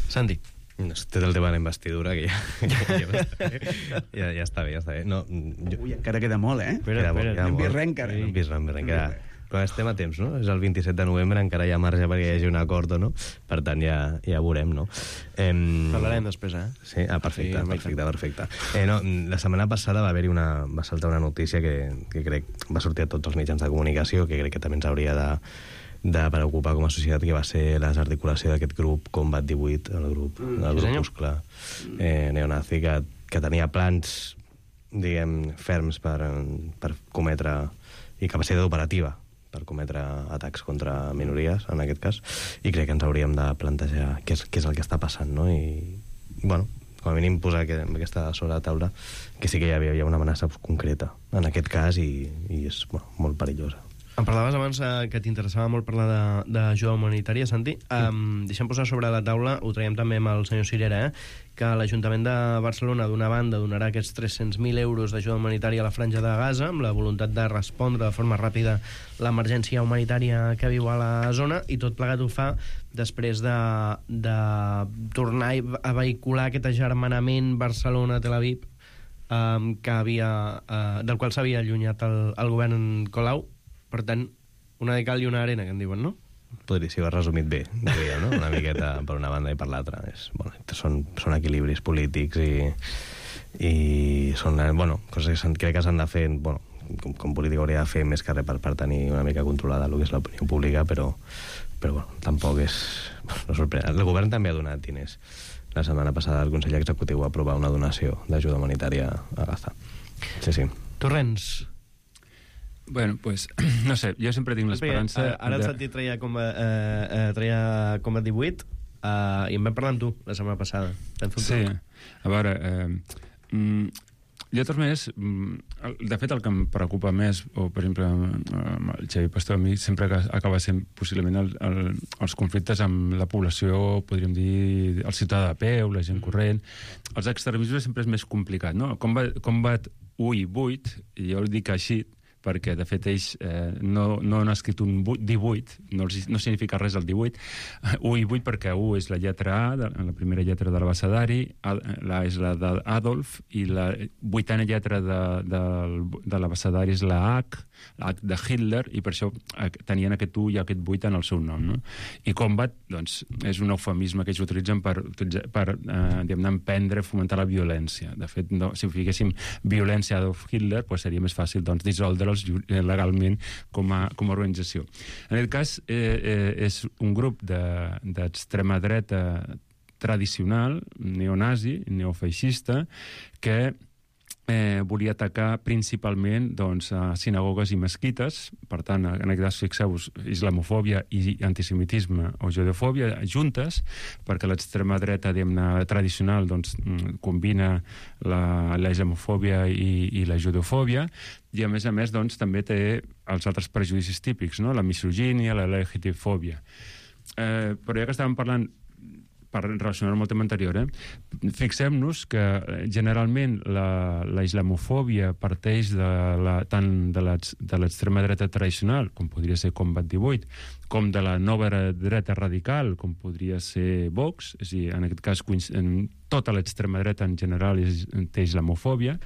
Santi. No, té el tema de la investidura, que ja, ja, ja, ja, ja està bé, ja està bé. No, jo... Ui, encara queda molt, eh? Espera, queda molt, queda en molt. Virrent, encara. En Virrent, en queda... Però estem a temps, no? És el vint-i-set de novembre, encara hi ha marge perquè hi hagi un acord o no. Per tant, ja, ja veurem, no? Eh... Parlarem després, eh? Sí, ah, perfecte, sí, perfecte, perfecte. Eh, no, la setmana passada va haver-hi una... va saltar una notícia que, que crec va sortir a tots els mitjans de comunicació, que crec que també ens hauria de, de preocupar com a societat, que va ser la desarticulació d'aquest grup Combat divuit, el grup, mm, el grupuscle eh, neonazi, que, que tenia plans, diguem, ferms per, per cometre, i capacitat operativa per cometre atacs contra minories, en aquest cas, i crec que ens hauríem de plantejar què és, què és el que està passant, no? I, bueno, com a mínim posar aquesta sobre la taula que sí que hi havia, hi ha una amenaça concreta en aquest cas i, i és bueno, molt perillosa. Em parlaves abans eh, que t'interessava molt parlar d'ajuda humanitària, Santi. Um, deixem posar sobre la taula, ho traiem també amb el senyor Cirera, eh, que l'Ajuntament de Barcelona, d'una banda, donarà aquests tres-cents mil euros d'ajuda humanitària a la Franja de Gaza, amb la voluntat de respondre de forma ràpida l'emergència humanitària que viu a la zona, i tot plegat ho fa després de, de tornar a vehicular aquest agermanament Barcelona-Tel Aviv, um, que havia, uh, del qual s'havia allunyat el, el govern Colau. Per tant, una de cal i una arena, que en diuen, no? Podria, si ho has resumit bé, diria, no? Una miqueta per una banda i per l'altra. Bueno, són, són equilibris polítics i, i són, bueno, coses que crec que s'han de fer, bueno, com, com polític hauria de fer més que res per, per tenir una mica controlada el que és l'opinió pública, però, però bueno, tampoc és... No sorprèn. El govern també ha donat diners. La setmana passada el Consell Executiu va aprovar una donació d'ajuda humanitària a Gaza. Sí, sí. Torrents. Bueno, pues, no sé, jo sempre tinc l'esperança... Ara, ara el Santi treia Combat, eh, eh, treia Combat divuit eh, i en vam parlar amb tu la setmana passada. Sí, a veure... Eh, mm, jo, de totes maneres, de fet, el que em preocupa més, o, per exemple, amb el Xavi Pastor, a mi sempre acaba sent possiblement el, el, els conflictes amb la població, podríem dir, el ciutadà de peu, la gent corrent. Els extremismes sempre és més complicat, no? Combat, Combat u i vuit, i jo ho dic així, perquè, de fet, ells eh, no, no han escrit un divuit, no, no significa res el divuit, u i vuit perquè u és la lletra A, de, la primera lletra de l'abecedari, la és la d'Adolf, i la vuitena lletra de, de, de l'abecedari és la H, la H de Hitler, i per això tenien aquest u i aquest vuit en el seu nom, no? I Combat, doncs, és un eufemisme que ells utilitzen per, per eh, diguem-ne, emprendre, fomentar la violència. De fet, no, si fiquéssim violència Adolf Hitler, doncs seria més fàcil, doncs, dissoldre legalment com a, com a organització. En aquest cas, eh, eh, és un grup d'extrema de, dreta tradicional, neonazi, neofeixista, que eh, volia atacar principalment doncs, a sinagogues i mesquites. Per tant, en aquest cas, fixeu-vos, islamofòbia i antisemitisme o judeofòbia juntes, perquè l'extrema dreta, diguem-ne, tradicional doncs, combina la, la islamofòbia i, i la judeofòbia, i a més a més doncs, també té els altres prejudicis típics, no? La misogínia, la L G T B fòbia. Eh, però ja que estàvem parlant, per relacionar amb el tema anterior, eh? Fixem-nos que generalment la, la islamofòbia parteix de la, tant de l'extrema dreta tradicional, com podria ser Combat divuit, com de la nova dreta radical, com podria ser Vox, és a dir, en aquest cas en tota l'extrema dreta en general té islamofòbia,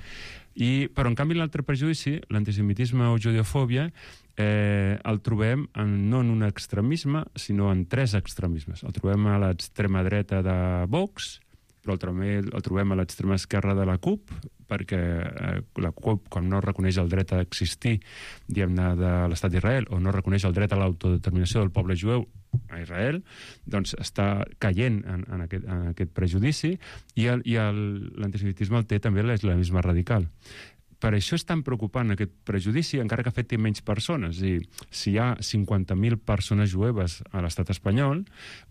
i, però en canvi l'altre prejudici, l'antisemitisme o judeofòbia, Eh, el trobem en, no en un extremisme, sinó en tres extremismes. El trobem a l'extrema dreta de Vox, però el trobem, el trobem a l'extrema esquerra de la CUP, perquè eh, la CUP, quan no reconeix el dret a existir, diguem-ne, de l'estat d'Israel, o no reconeix el dret a l'autodeterminació del poble jueu a Israel, doncs està caient en, en, aquest, en aquest prejudici, i, el, i el, l'antisemitisme el té també l'islamisme radical. Per això és tan preocupant aquest prejudici, encara que afecti menys persones. I si hi ha cinquanta mil persones jueves a l'estat espanyol,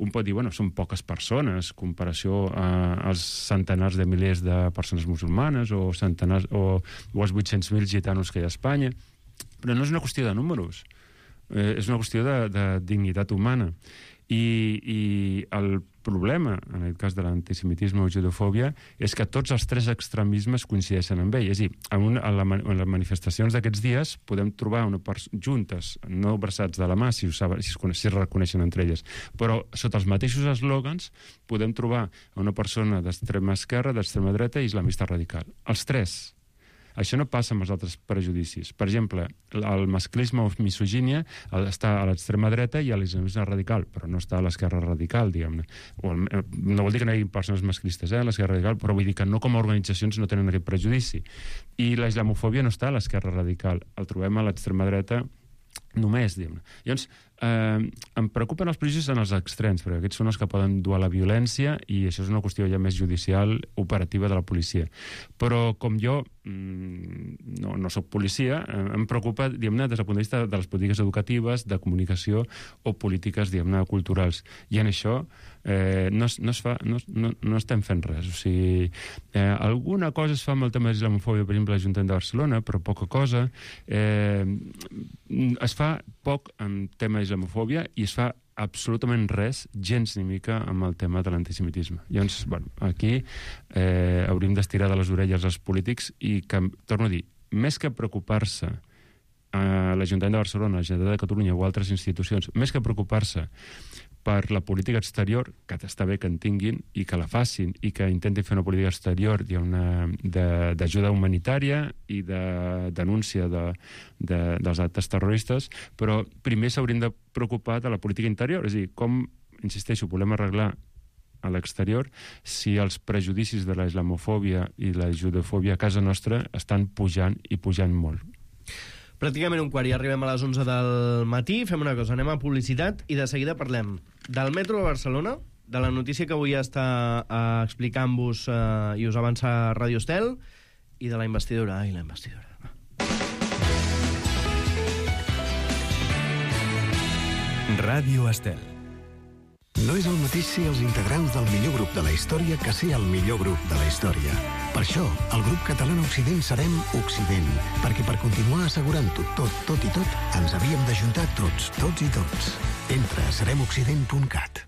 un pot dir, bueno, són poques persones, en comparació a, als centenars de milers de persones musulmanes o, centenars, o, o als vuit-cents mil gitanos que hi ha a Espanya. Però no és una qüestió de números, eh, és una qüestió de, de dignitat humana. I, i el problema, en el cas de l'antisemitisme o judeofòbia, és que tots els tres extremismes coincideixen amb ell. És a dir, en, una, en, la, en les manifestacions d'aquests dies podem trobar una juntes, no abraçats de la mà, si, ho saben, si, es, si es reconeixen entre elles, però sota els mateixos eslògans podem trobar una persona d'extrema esquerra, d'extrema dreta i islamista radical. Els tres. Això no passa amb els altres prejudicis. Per exemple, el masclisme o misogínia està a l'extrema dreta i a l'islamisme radical, però no està a l'esquerra radical, diguem-ne. No vol dir que no hi hagi persones masclistes eh, a l'esquerra radical, però vull dir que no com a organitzacions no tenen aquest prejudici. I la islamofòbia no està a l'esquerra radical, el trobem a l'extrema dreta només, diguem-ne. Llavors, eh, em preocupen els prejudicis en els extrems, perquè aquests són els que poden dur a la violència i això és una qüestió ja més judicial, operativa de la policia. Però com jo mmm, no, no soc policia, eh, em preocupa, diguem-ne, des del punt de vista de les polítiques educatives, de comunicació o polítiques, diguem-ne, culturals. I en això eh, no, es, no, es fa, no, no, no estem fent res. O sigui, eh, alguna cosa es fa amb el tema de l'islamofòbia, per exemple, a l'Ajuntament de Barcelona, però poca cosa. Eh, es fa poc en tema d'islamofòbia i es fa absolutament res, gens ni mica, amb el tema de l'antisemitisme. Llavors, bueno, aquí eh, hauríem d'estirar de les orelles als polítics i, que, torno a dir, més que preocupar-se a l'Ajuntament de Barcelona, la Generalitat de Catalunya o altres institucions, més que preocupar-se per la política exterior, que està bé que en tinguin i que la facin i que intentin fer una política exterior d'ajuda humanitària i de denúncia de, de, dels actes terroristes, però primer s'haurien de preocupar de la política interior, és a dir, com, insisteixo, volem arreglar a l'exterior si els prejudicis de la islamofòbia i la judeofòbia a casa nostra estan pujant i pujant molt. Pràcticament un quart i arribem a les onze del matí. Fem una cosa, anem a publicitat i de seguida parlem del metro de Barcelona, de la notícia que avui està eh, explicant-vos eh, i us avança Ràdio Estel, i de la investidura. Ai, la investidura. Ràdio Estel. No és el mateix ser els integrants del millor grup de la història que ser el millor grup de la història. Per això, el grup català Occident serem Occident, perquè per continuar assegurant-ho tot, tot i tot, ens havíem d'ajuntar tots, tots i tots. Entra a serem occident punt cat.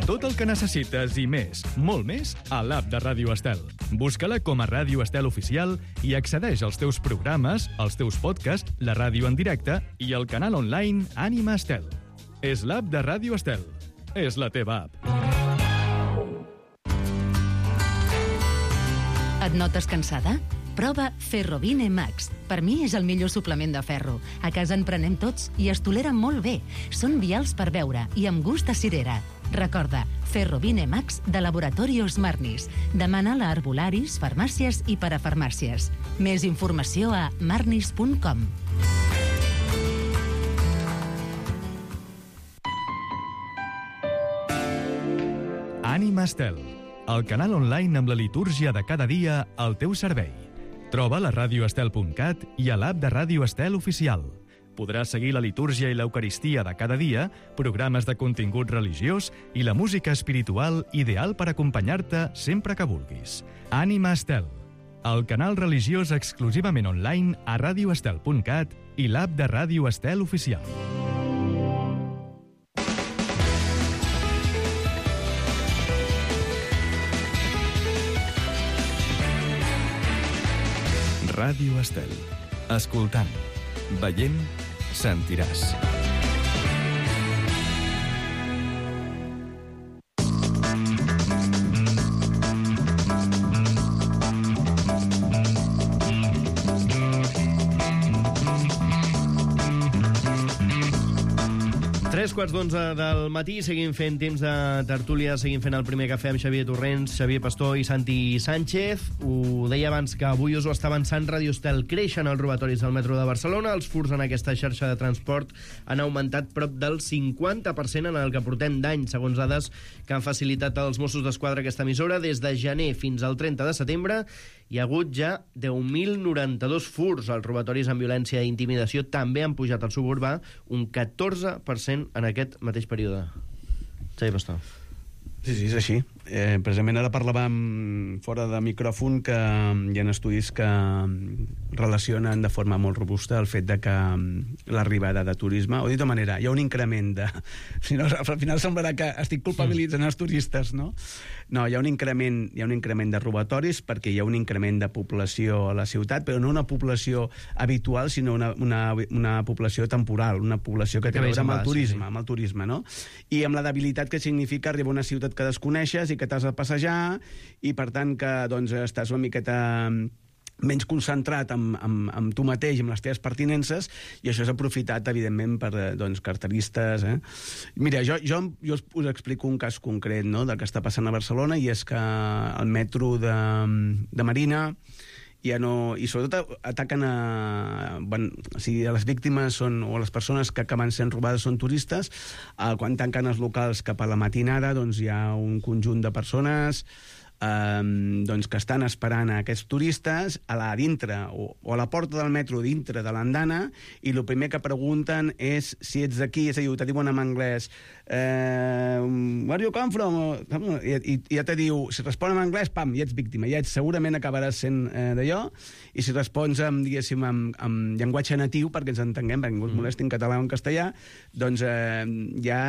Tot el que necessites i més, molt més, a l'app de Ràdio Estel. Busca-la com a Ràdio Estel Oficial i accedeix als teus programes, als teus podcasts, la ràdio en directe i el canal online Ànima Estel. És l'app de Ràdio Estel. És la teva app. Et notes cansada? Prova Ferrovine Max. Per mi és el millor suplement de ferro. A casa en prenem tots i es tolera molt bé. Són vials per beure i amb gust a cirera. Recorda, Ferrovine Max de Laboratorios Marnis. Demana-la a arbolaris, farmàcies i parafarmàcies. Més informació a marnis punt com. Ànima Estel, el canal online amb la litúrgia de cada dia al teu servei. Troba la radio estel punt cat i a l'app de Ràdio Estel Oficial. Podràs seguir la litúrgia i l'eucaristia de cada dia, programes de contingut religiós i la música espiritual ideal per acompanyar-te sempre que vulguis. Ànima Estel, el canal religiós exclusivament online a radio estel punt cat i l'app de Ràdio Estel Oficial. Ràdio Estel. Escoltant, veient, sentiràs. Tres quarts d'onze del matí, seguim fent temps de tertúlia, seguim fent el primer cafè amb Xavier Torrents, Xavier Pastor i Santi Sánchez. Ho deia abans que avui us ho està avançant Ràdio Estel. Creixen els robatoris del metro de Barcelona, els furs en aquesta xarxa de transport han augmentat prop del cinquanta per cent en el que portem d'any, segons dades que han facilitat els Mossos d'Esquadra aquesta emissora. Des de gener fins al trenta de setembre hi ha hagut ja deu mil noranta-dos furs. Els robatoris amb violència i intimidació també han pujat al suburbà un catorze per cent en aquest mateix període. Xavier Pastor. Sí, sí, és així. Eh, precisament ara parlàvem fora de micròfon que hi ha estudis que relacionen de forma molt robusta el fet de que l'arribada de turisme, o dit de manera, hi ha un increment de... Si no, al final semblarà que estic culpabilitzant els turistes, no? No, hi ha un increment, hi ha un increment de robatoris perquè hi ha un increment de població a la ciutat, però no una població habitual, sinó una, una, una població temporal, una població que té a veure amb el turisme, amb el turisme, no? I amb la debilitat que significa arribar a una ciutat que desconeixes i que t'has de passejar i, per tant, que doncs, estàs una miqueta menys concentrat amb, amb, amb tu mateix, amb les teves pertinences, i això és aprofitat, evidentment, per doncs, carteristes. Eh? Mira, jo, jo, jo us explico un cas concret, no?, del que està passant a Barcelona, i és que el metro de, de Marina ja no, i sobretot ataquen a, bueno, o sigui, les víctimes són, o les persones que acaben sent robades són turistes. Quan tanquen els locals cap a la matinada, doncs hi ha un conjunt de persones Um, doncs que estan esperant a aquests turistes a la dintre o, o a la porta del metro dintre de l'andana, i el primer que pregunten és si ets d'aquí, és a dir, te diuen en anglès eh, where you come from, i, i, i ja te diu, si respon en anglès, pam, ja ets víctima, ja ets, segurament acabaràs sent eh, d'allò, i si respons amb, diguéssim, amb, amb llenguatge natiu, perquè ens entenguem, perquè ningú es molesti en català o en castellà, doncs eh, ja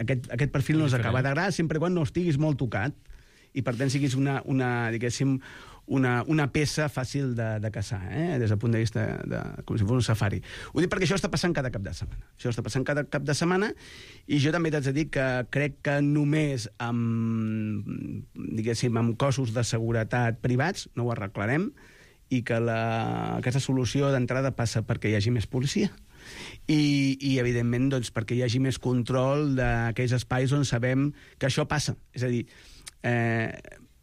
aquest, aquest perfil no us acaba d'agradar, sempre quan no estiguis molt tocat i per tant siguis una, una diguéssim, una, una peça fàcil de, de caçar, eh? Des del punt de vista de, com si fos un safari. Ho dic perquè això està passant cada cap de setmana. Això està passant cada cap de setmana, i jo també t'haig de dir que crec que només amb, diguéssim, amb cossos de seguretat privats no ho arreglarem, i que la, aquesta solució d'entrada passa perquè hi hagi més policia. I, i evidentment, doncs, perquè hi hagi més control d'aquells espais on sabem que això passa. És a dir, Eh,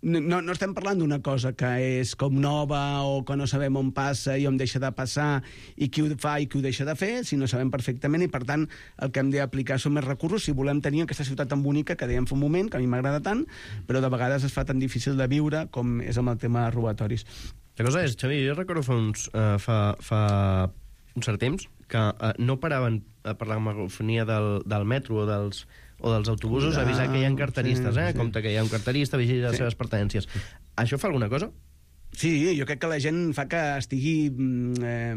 no, no estem parlant d'una cosa que és com nova o que no sabem on passa i on deixa de passar i qui ho fa i qui ho deixa de fer, sinó sabem perfectament, i per tant el que hem d'aplicar són més recursos si volem tenir aquesta ciutat tan bonica que dèiem fa un moment, que a mi m'agrada tant, però de vegades es fa tan difícil de viure com és amb el tema de robatoris. La cosa és, Xavi, jo recordo fa, uns, uh, fa, fa un cert temps que uh, no paraven uh, per la megafonia del, del metro o dels o dels autobusos, avisar que hi ha carteristes, eh? Sí, sí. Compte que hi ha un carterista, vigila les sí. seves pertinències. Això fa alguna cosa? Sí, jo crec que la gent fa que estigui eh,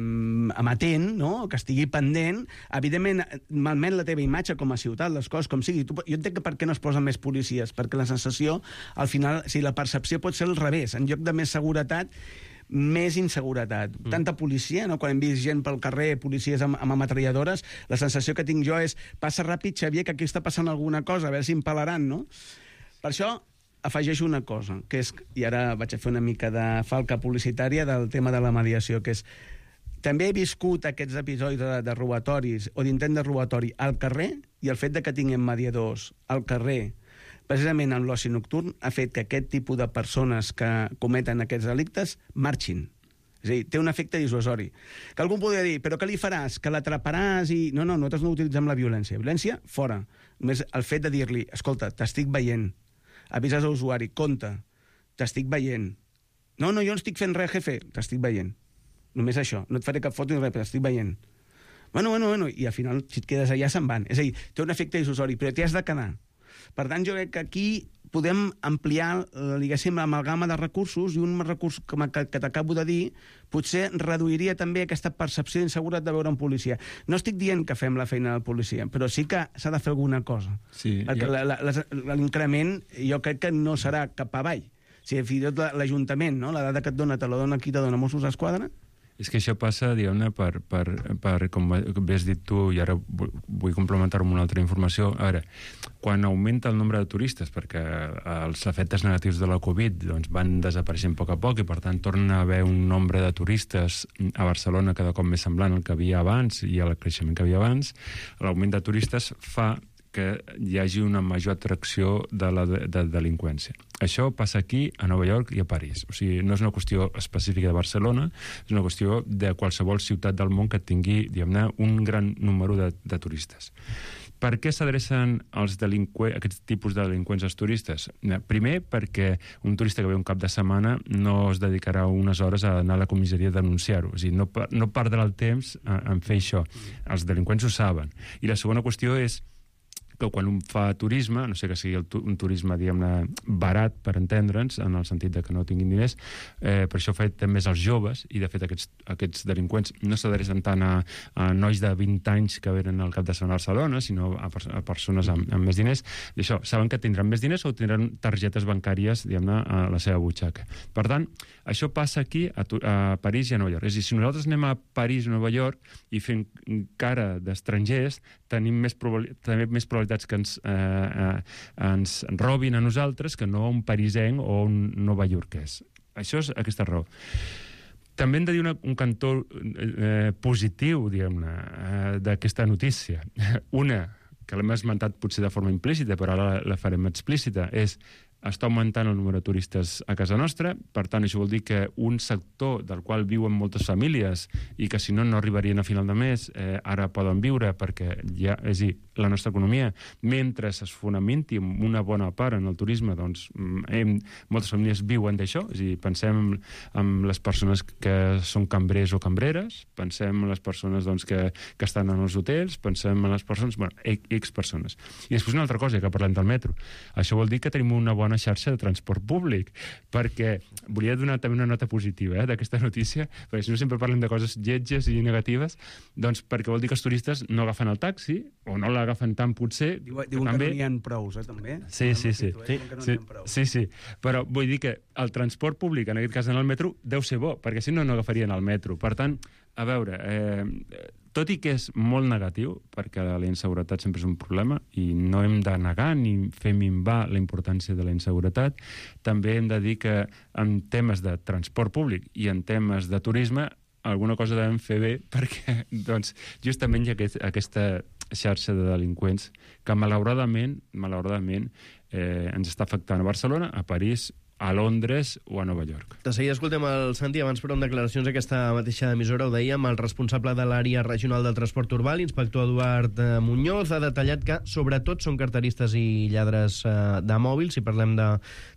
amatent, no?, que estigui pendent. Evidentment, malmet la teva imatge com a ciutat, les coses com sigui. Tu, jo entenc que per què no es posen més policies, perquè la sensació, al final, si la percepció pot ser al revés, en lloc de més seguretat, més inseguretat. Mm. Tanta policia, no? Quan hem vist gent pel carrer, policies amb, amb ametralladores, la sensació que tinc jo és passa ràpid, Xavier, que aquí està passant alguna cosa, a veure si em pelaran, no? Per això afegeixo una cosa, que és, i ara vaig a fer una mica de falca publicitària del tema de la mediació, que és també he viscut aquests episodis de, de robatoris o d'intent de robatori al carrer, i el fet de que tinguem mediadors al carrer precisament en l'oci nocturn ha fet que aquest tipus de persones que cometen aquests delictes marxin. És a dir, té un efecte dissuasori. Que algú podria dir, però què li faràs? Que l'atraparàs i... No, no, nosaltres no utilitzem la violència. Violència, fora. Només el fet de dir-li, escolta, t'estic veient, avises a l'usuari, compte, t'estic veient. No, no, jo no estic fent res, jefe, t'estic veient. Només això, no et faré cap foto ni res, però t'estic veient. Bueno, bueno, bueno, i al final, si et quedes allà, se'n van. És a dir, té un efecte dissuasori, però t'hi has de quedar. Per tant, jo crec que aquí podem ampliar, diguéssim, l'amalgama de recursos, i un recurs que, que t'acabo de dir potser reduiria també aquesta percepció d'inseguretat de veure un policia. No estic dient que fem la feina del policia, però sí que s'ha de fer alguna cosa. Sí, perquè ja... l'increment jo crec que no serà cap avall. Si fins i tot l'Ajuntament, no? La dada que et dona te la dona qui te dona Mossos d'Esquadra. És que això passa, diguem-ne, per, per, per, com bé has dit tu, i ara vull complementar-ho amb una altra informació. A veure, quan augmenta el nombre de turistes, perquè els efectes negatius de la Covid doncs, van desapareixent a poc a poc, i per tant torna a haver un nombre de turistes a Barcelona cada cop més semblant al que havia abans i al creixement que havia abans, l'augment de turistes fa que hi hagi una major atracció de la de, de delinqüència. Això passa aquí, a Nova York i a París. O sigui, no és una qüestió específica de Barcelona, és una qüestió de qualsevol ciutat del món que tingui, diguem-ne, un gran número de, de turistes. Per què s'adrecen els aquests tipus de delinqüents als turistes? Primer, perquè un turista que ve un cap de setmana no es dedicarà unes hores a anar a la comissaria a denunciar-ho. És a dir, no, no perdrà el temps en fer això. Els delinqüents ho saben. I la segona qüestió és que quan un fa turisme, no sé que sigui el tu, un turisme, diguem-ne, barat, per entendre'ns, en el sentit de que no tinguin diners, eh, per això ho fan més els joves, i de fet aquests, aquests delinqüents no s'adrecen tant a, a nois de vint anys que venen al cap de setmana a Barcelona, sinó a, a persones amb, amb més diners. I això, saben que tindran més diners o tindran targetes bancàries, diguem-ne, a la seva butxaca. Per tant, això passa aquí, a, a París i a Nova York. És a dir, si nosaltres anem a París o Nova York i fem cara d'estrangers, tenim més, probab... també més probabilitats que ens, eh, eh, ens robin a nosaltres que no un parisenc o un novaiorquès. Això és aquesta raó. També hem de dir una, un cantó eh, positiu, diguem-ne, eh, d'aquesta notícia. Una, que l'hem esmentat potser de forma implícita, però ara la, la farem explícita, és està augmentant el número de turistes a casa nostra. Per tant, això vol dir que un sector del qual viuen moltes famílies i que si no no arribarien a final de mes, eh, ara poden viure perquè ja, és a dir, la nostra economia, mentre es fonamenti una bona part en el turisme, doncs hem, moltes famílies viuen d'això. És a dir, pensem en, en les persones que són cambrers o cambreres, pensem en les persones doncs, que, que estan en els hotels, pensem en les persones, bueno, X persones. I després una altra cosa, que parlem del metro. Això vol dir que tenim una bona xarxa de transport públic, perquè volia donar també una nota positiva eh, d'aquesta notícia, perquè si no sempre parlem de coses lletges i negatives, doncs perquè vol dir que els turistes no agafen el taxi, o no l'agafen tant potser. Diuen que també... no n'hi ha prous, eh, també. Sí, sí, sí. Sí, sí, sí, sí. Però vull dir que el transport públic, en aquest cas en el metro, deu ser bo, perquè si no, no agafarien el metro. Per tant, a veure, eh, tot i que és molt negatiu, perquè la inseguretat sempre és un problema, i no hem de negar ni fer minvar la importància de la inseguretat, també hem de dir que en temes de transport públic i en temes de turisme alguna cosa devem fer bé, perquè doncs, justament hi ha aquest, aquesta xarxa de delinqüents que malauradament, malauradament eh, ens està afectant a Barcelona, a París, a Londres o a Nova York. De seguida escoltem el Santi, abans però en declaracions d'aquesta mateixa emissora, ho dèiem, el responsable de l'àrea regional del transport urbà, l'inspector Eduard Muñoz, ha detallat que sobretot són carteristes i lladres eh, de mòbils. Si parlem de,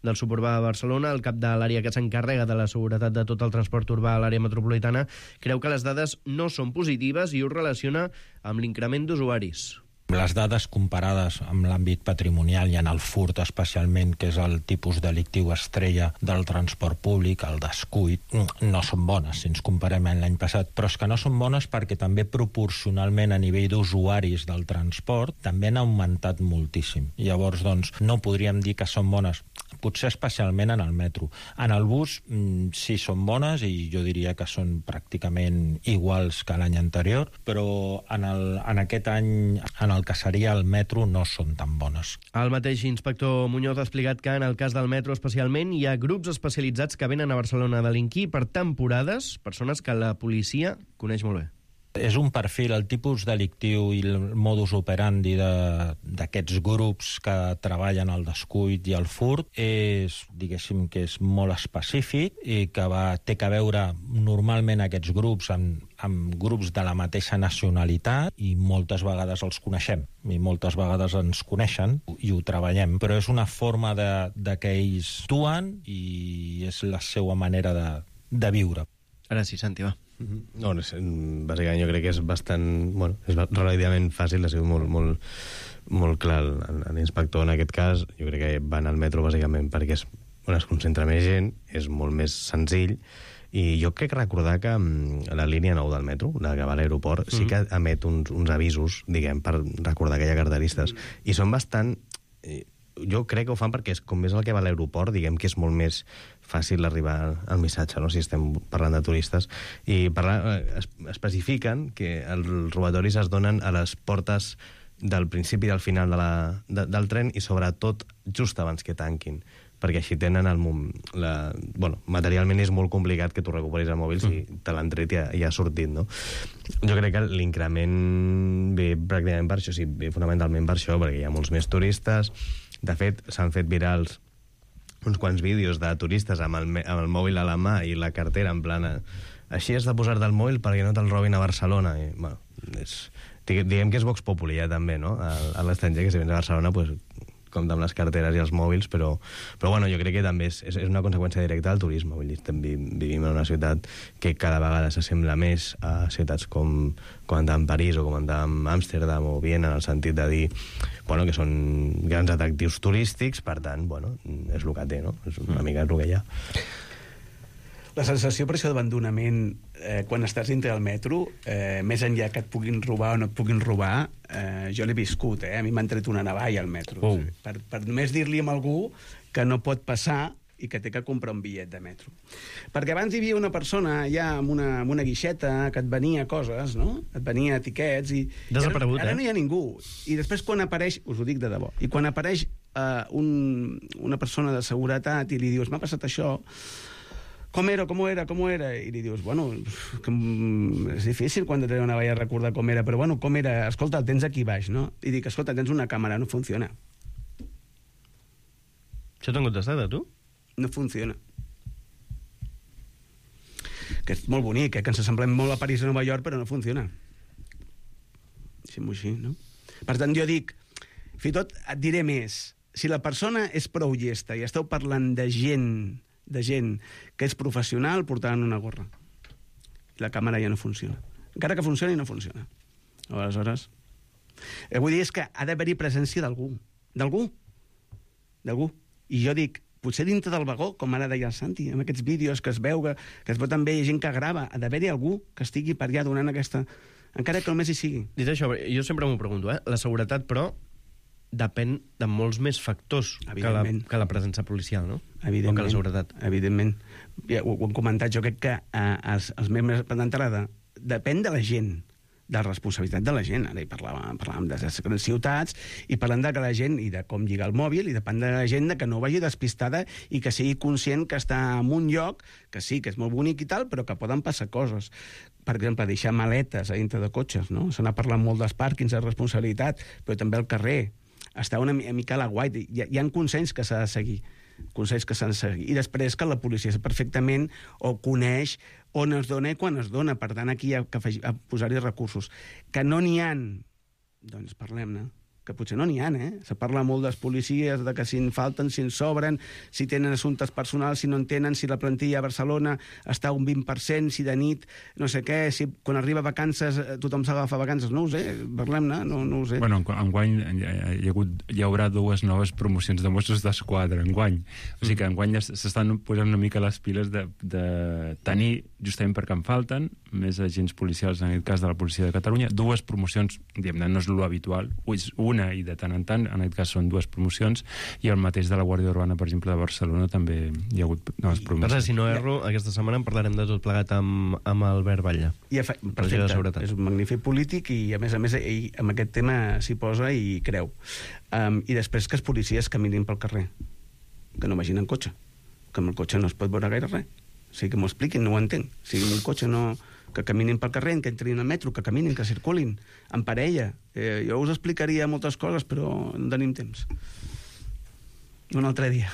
del suburbà de Barcelona, el cap de l'àrea que s'encarrega de la seguretat de tot el transport urbà a l'àrea metropolitana creu que les dades no són positives i ho relaciona amb l'increment d'usuaris. Les dades comparades amb l'àmbit patrimonial i en el furt especialment, que és el tipus delictiu estrella del transport públic, el descuit, no són bones si ens comparem amb l'any passat, però és que no són bones perquè també proporcionalment a nivell d'usuaris del transport també han augmentat moltíssim. Llavors, doncs, no podríem dir que són bones, potser especialment en el metro. En el bus sí són bones i jo diria que són pràcticament iguals que l'any anterior, però en, el, en aquest any, en el que seria el metro, no són tan bones. El mateix inspector Muñoz ha explicat que en el cas del metro especialment hi ha grups especialitzats que venen a Barcelona a delinquir per temporades, persones que la policia coneix molt bé. És un perfil, el tipus delictiu i el modus operandi d'aquests grups que treballen al descuit i al furt és, diguéssim, que és molt específic i que va, té que veure normalment aquests grups amb, amb grups de la mateixa nacionalitat i moltes vegades els coneixem i moltes vegades ens coneixen i ho treballem, però és una forma de, de que ells actuen i és la seva manera de, de viure. Ara sí, Santi, va. No, no, bàsicament jo crec que és bastant... Bueno, és relativament fàcil, ha sigut molt, molt, molt clar l'inspector en aquest cas. Jo crec que van al metro bàsicament perquè és on es concentra més gent, és molt més senzill, i jo crec recordar que la línia nou del metro, la que va a l'aeroport, mm. sí que emet uns, uns avisos, diguem, per recordar que hi ha carteristes, mm. i són bastant... Jo crec que ho fan perquè és, com és el que va a l'aeroport, diguem que és molt més fàcil arribar al missatge, no?, si estem parlant de turistes. I parla, es, especifiquen que els robatoris es donen a les portes del principi i del final de la, de, del tren i sobretot just abans que tanquin, perquè així tenen el... La, bueno, materialment és molt complicat que tu recuperis el mòbil si te l'han tret i ha, i ha sortit, no? Jo crec que l'increment ve pràcticament per això, sí, ve fonamentalment per això, perquè hi ha molts més turistes. De fet, s'han fet virals uns quants vídeos de turistes amb el, amb el mòbil a la mà i la cartera en plana. Així has de posar-te el mòbil perquè no te'l robin a Barcelona. I, bueno, és, diguem que és Vox Populi, ja, també, no?, a, a l'estranger, que si vens a Barcelona, pues, compta amb les carteres i els mòbils, però, però bueno, jo crec que també és, és una conseqüència directa del turisme. Vull dir, estem, vivim en una ciutat que cada vegada s'assembla més a ciutats com, com andar en París o com andar en Amsterdam o Viena, en el sentit de dir, bueno, que són grans atractius turístics, per tant, bueno, és el que té, no? És una mica el que hi ha. La sensació per això d'abandonament, eh, quan estàs dintre del metro, eh, més enllà que et puguin robar o no et puguin robar, eh, jo l'he viscut, eh? A mi m'han tret una navalla al metro. Oh. Per, per només dir-li a algú que no pot passar i que té que comprar un bitllet de metro. Perquè abans hi havia una persona ja amb una, amb una guixeta que et venia coses, no? Et venia etiquets i... Desaparegut, ara, ara eh? no hi ha ningú. I després quan apareix, us ho dic de debò, i quan apareix eh, un, una persona de seguretat i li dius, m'ha passat això, com era, com era, com era? I li dius, bueno, que és difícil quan te una valla recordar com era, però bueno, com era? Escolta, el tens aquí baix, no? I dic, escolta, tens una càmera, no funciona. Això t'han contestat, a tu? No funciona. Que és molt bonic, eh? Que ens assemblem molt a París i a Nova York, però no funciona. Deixem-ho així, no? Per tant, jo dic, fins i tot et diré més, si la persona és prou llesta i esteu parlant de gent de gent que és professional portant una gorra. La càmera ja no funciona. Encara que funcioni, no funciona. Aleshores, el que vull dir és que ha d'haver-hi presència d'algú. D'algú. D'algú. I jo dic, potser dintre del vagó, com ara deia el Santi, amb aquests vídeos que es veu, que, que es veu també gent que grava, ha d'haver-hi algú que estigui per allà donant aquesta... Encara que només hi sigui. Dit això, jo sempre m'ho pregunto, eh? La seguretat, però, depèn de molts més factors que la, que la presència policial, no? Evidentment. O que la seguretat. Evidentment. Ja, ho, ho hem comentat, jo crec que eh, els, els membres d'entrada depèn de la gent, de la responsabilitat de la gent. Ara hi parlàvem, parlàvem de les grans ciutats i parlant de que la gent, i de com lligar el mòbil, i depèn de la gent de que no vagi despistada i que sigui conscient que està en un lloc, que sí, que és molt bonic i tal, però que poden passar coses. Per exemple, deixar maletes a dintre de cotxes, no? Se n'ha parlat molt dels pàrquings de responsabilitat, però també al carrer. Està una mica a la guai. Hi ha, hi ha consells que s'ha de seguir. Consells que s'han de seguir. I després que la policia sap perfectament o coneix on es dona i quan es dona. Per tant, aquí hi ha que posar-hi recursos. Que no n'hi ha, doncs parlem-ne. Que potser no n'hi ha, eh? Se parla molt dels policies, de que si en falten, si en sobren, si tenen assumptes personals, si no en tenen, si la plantilla a Barcelona està un vint per cent, si de nit, no sé què, si quan arriba vacances tothom s'agafa vacances, no ho sé, parlem-ne, no, no ho sé. Bueno, enguany hi, ha hagut, hi haurà dues noves promocions de Mossos d'Esquadra, enguany. O sigui que enguany ja s'estan posant una mica les piles de, de tenir, justament perquè en falten, més agents policials, en aquest cas de la policia de Catalunya, dues promocions, diguem-ne, no és l'habitual, una i de tant en tant, en aquest cas són dues promocions, i el mateix de la Guàrdia Urbana, per exemple, de Barcelona, també hi ha hagut noves promocions. Per si no erro, aquesta setmana en parlarem de tot plegat amb, amb Albert Batlle. I fa, perfecte, és un magnífic polític i, a més a més, ell amb aquest tema s'hi posa i creu. Um, I després que els policies caminin pel carrer, que no vagin en cotxe, que amb el cotxe no es pot veure gaire res. O sigui, que m'ho expliquin, no ho entenc. O sigui, amb un cotxe no... que caminin pel carrer, que entrin al metro, que caminin, que circulin, en parella. Eh, jo us explicaria moltes coses, però no tenim temps. Un altre dia.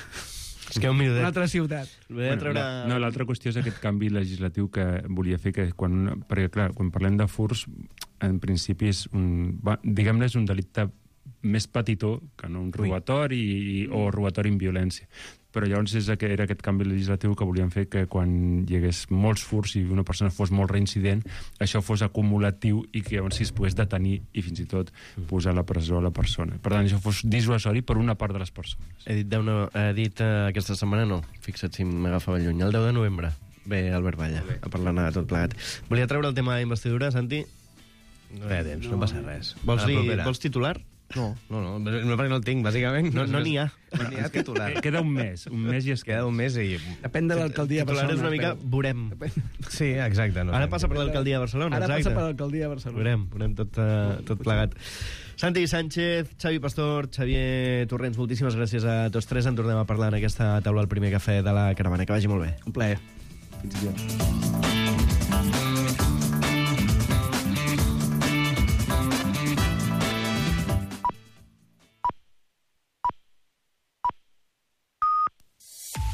És que un minutet. Una altra ciutat. Bueno, treure... No, no l'altra qüestió és aquest canvi legislatiu que volia fer, que quan, perquè, clar, quan parlem de furs, en principi és un, diguem-ne, és un delicte més petitó que no un robatori i, o robatori amb violència. Però llavors és que era aquest canvi legislatiu que volíem fer, que quan hi hagués molts furs i una persona fos molt reincident, això fos acumulatiu i que llavors es pogués detenir i fins i tot posar a la presó a la persona. Per tant, això fos dissuasori per una part de les persones. He dit, no, he dit uh, aquesta setmana no, fixa't si m'agafava lluny, el deu de novembre. Bé, Albert Balla, a parlar de tot plegat. Volia treure el tema d'investidura, Santi? No hi ha temps, no, no passa res. Vols, dir, vols titular? No, no, no, no, perquè no el tinc, bàsicament. No n'hi no ha. No n'hi ha titular. Queda un mes, un mes i es queda un mes i... Depèn de l'alcaldia de Barcelona. Titular és una mica, però... veurem. Sí, exacte. No, Ara passa per l'alcaldia de Barcelona, Ara exacte. passa per l'alcaldia de Barcelona. Veurem, veurem tot, uh, tot plegat. Santi Sánchez, Xavi Pastor, Xavier Torrents, moltíssimes gràcies a tots tres. En tornem a parlar en aquesta taula al primer cafè de la caravana. Que vagi molt bé. Un plaer. Fins i tot.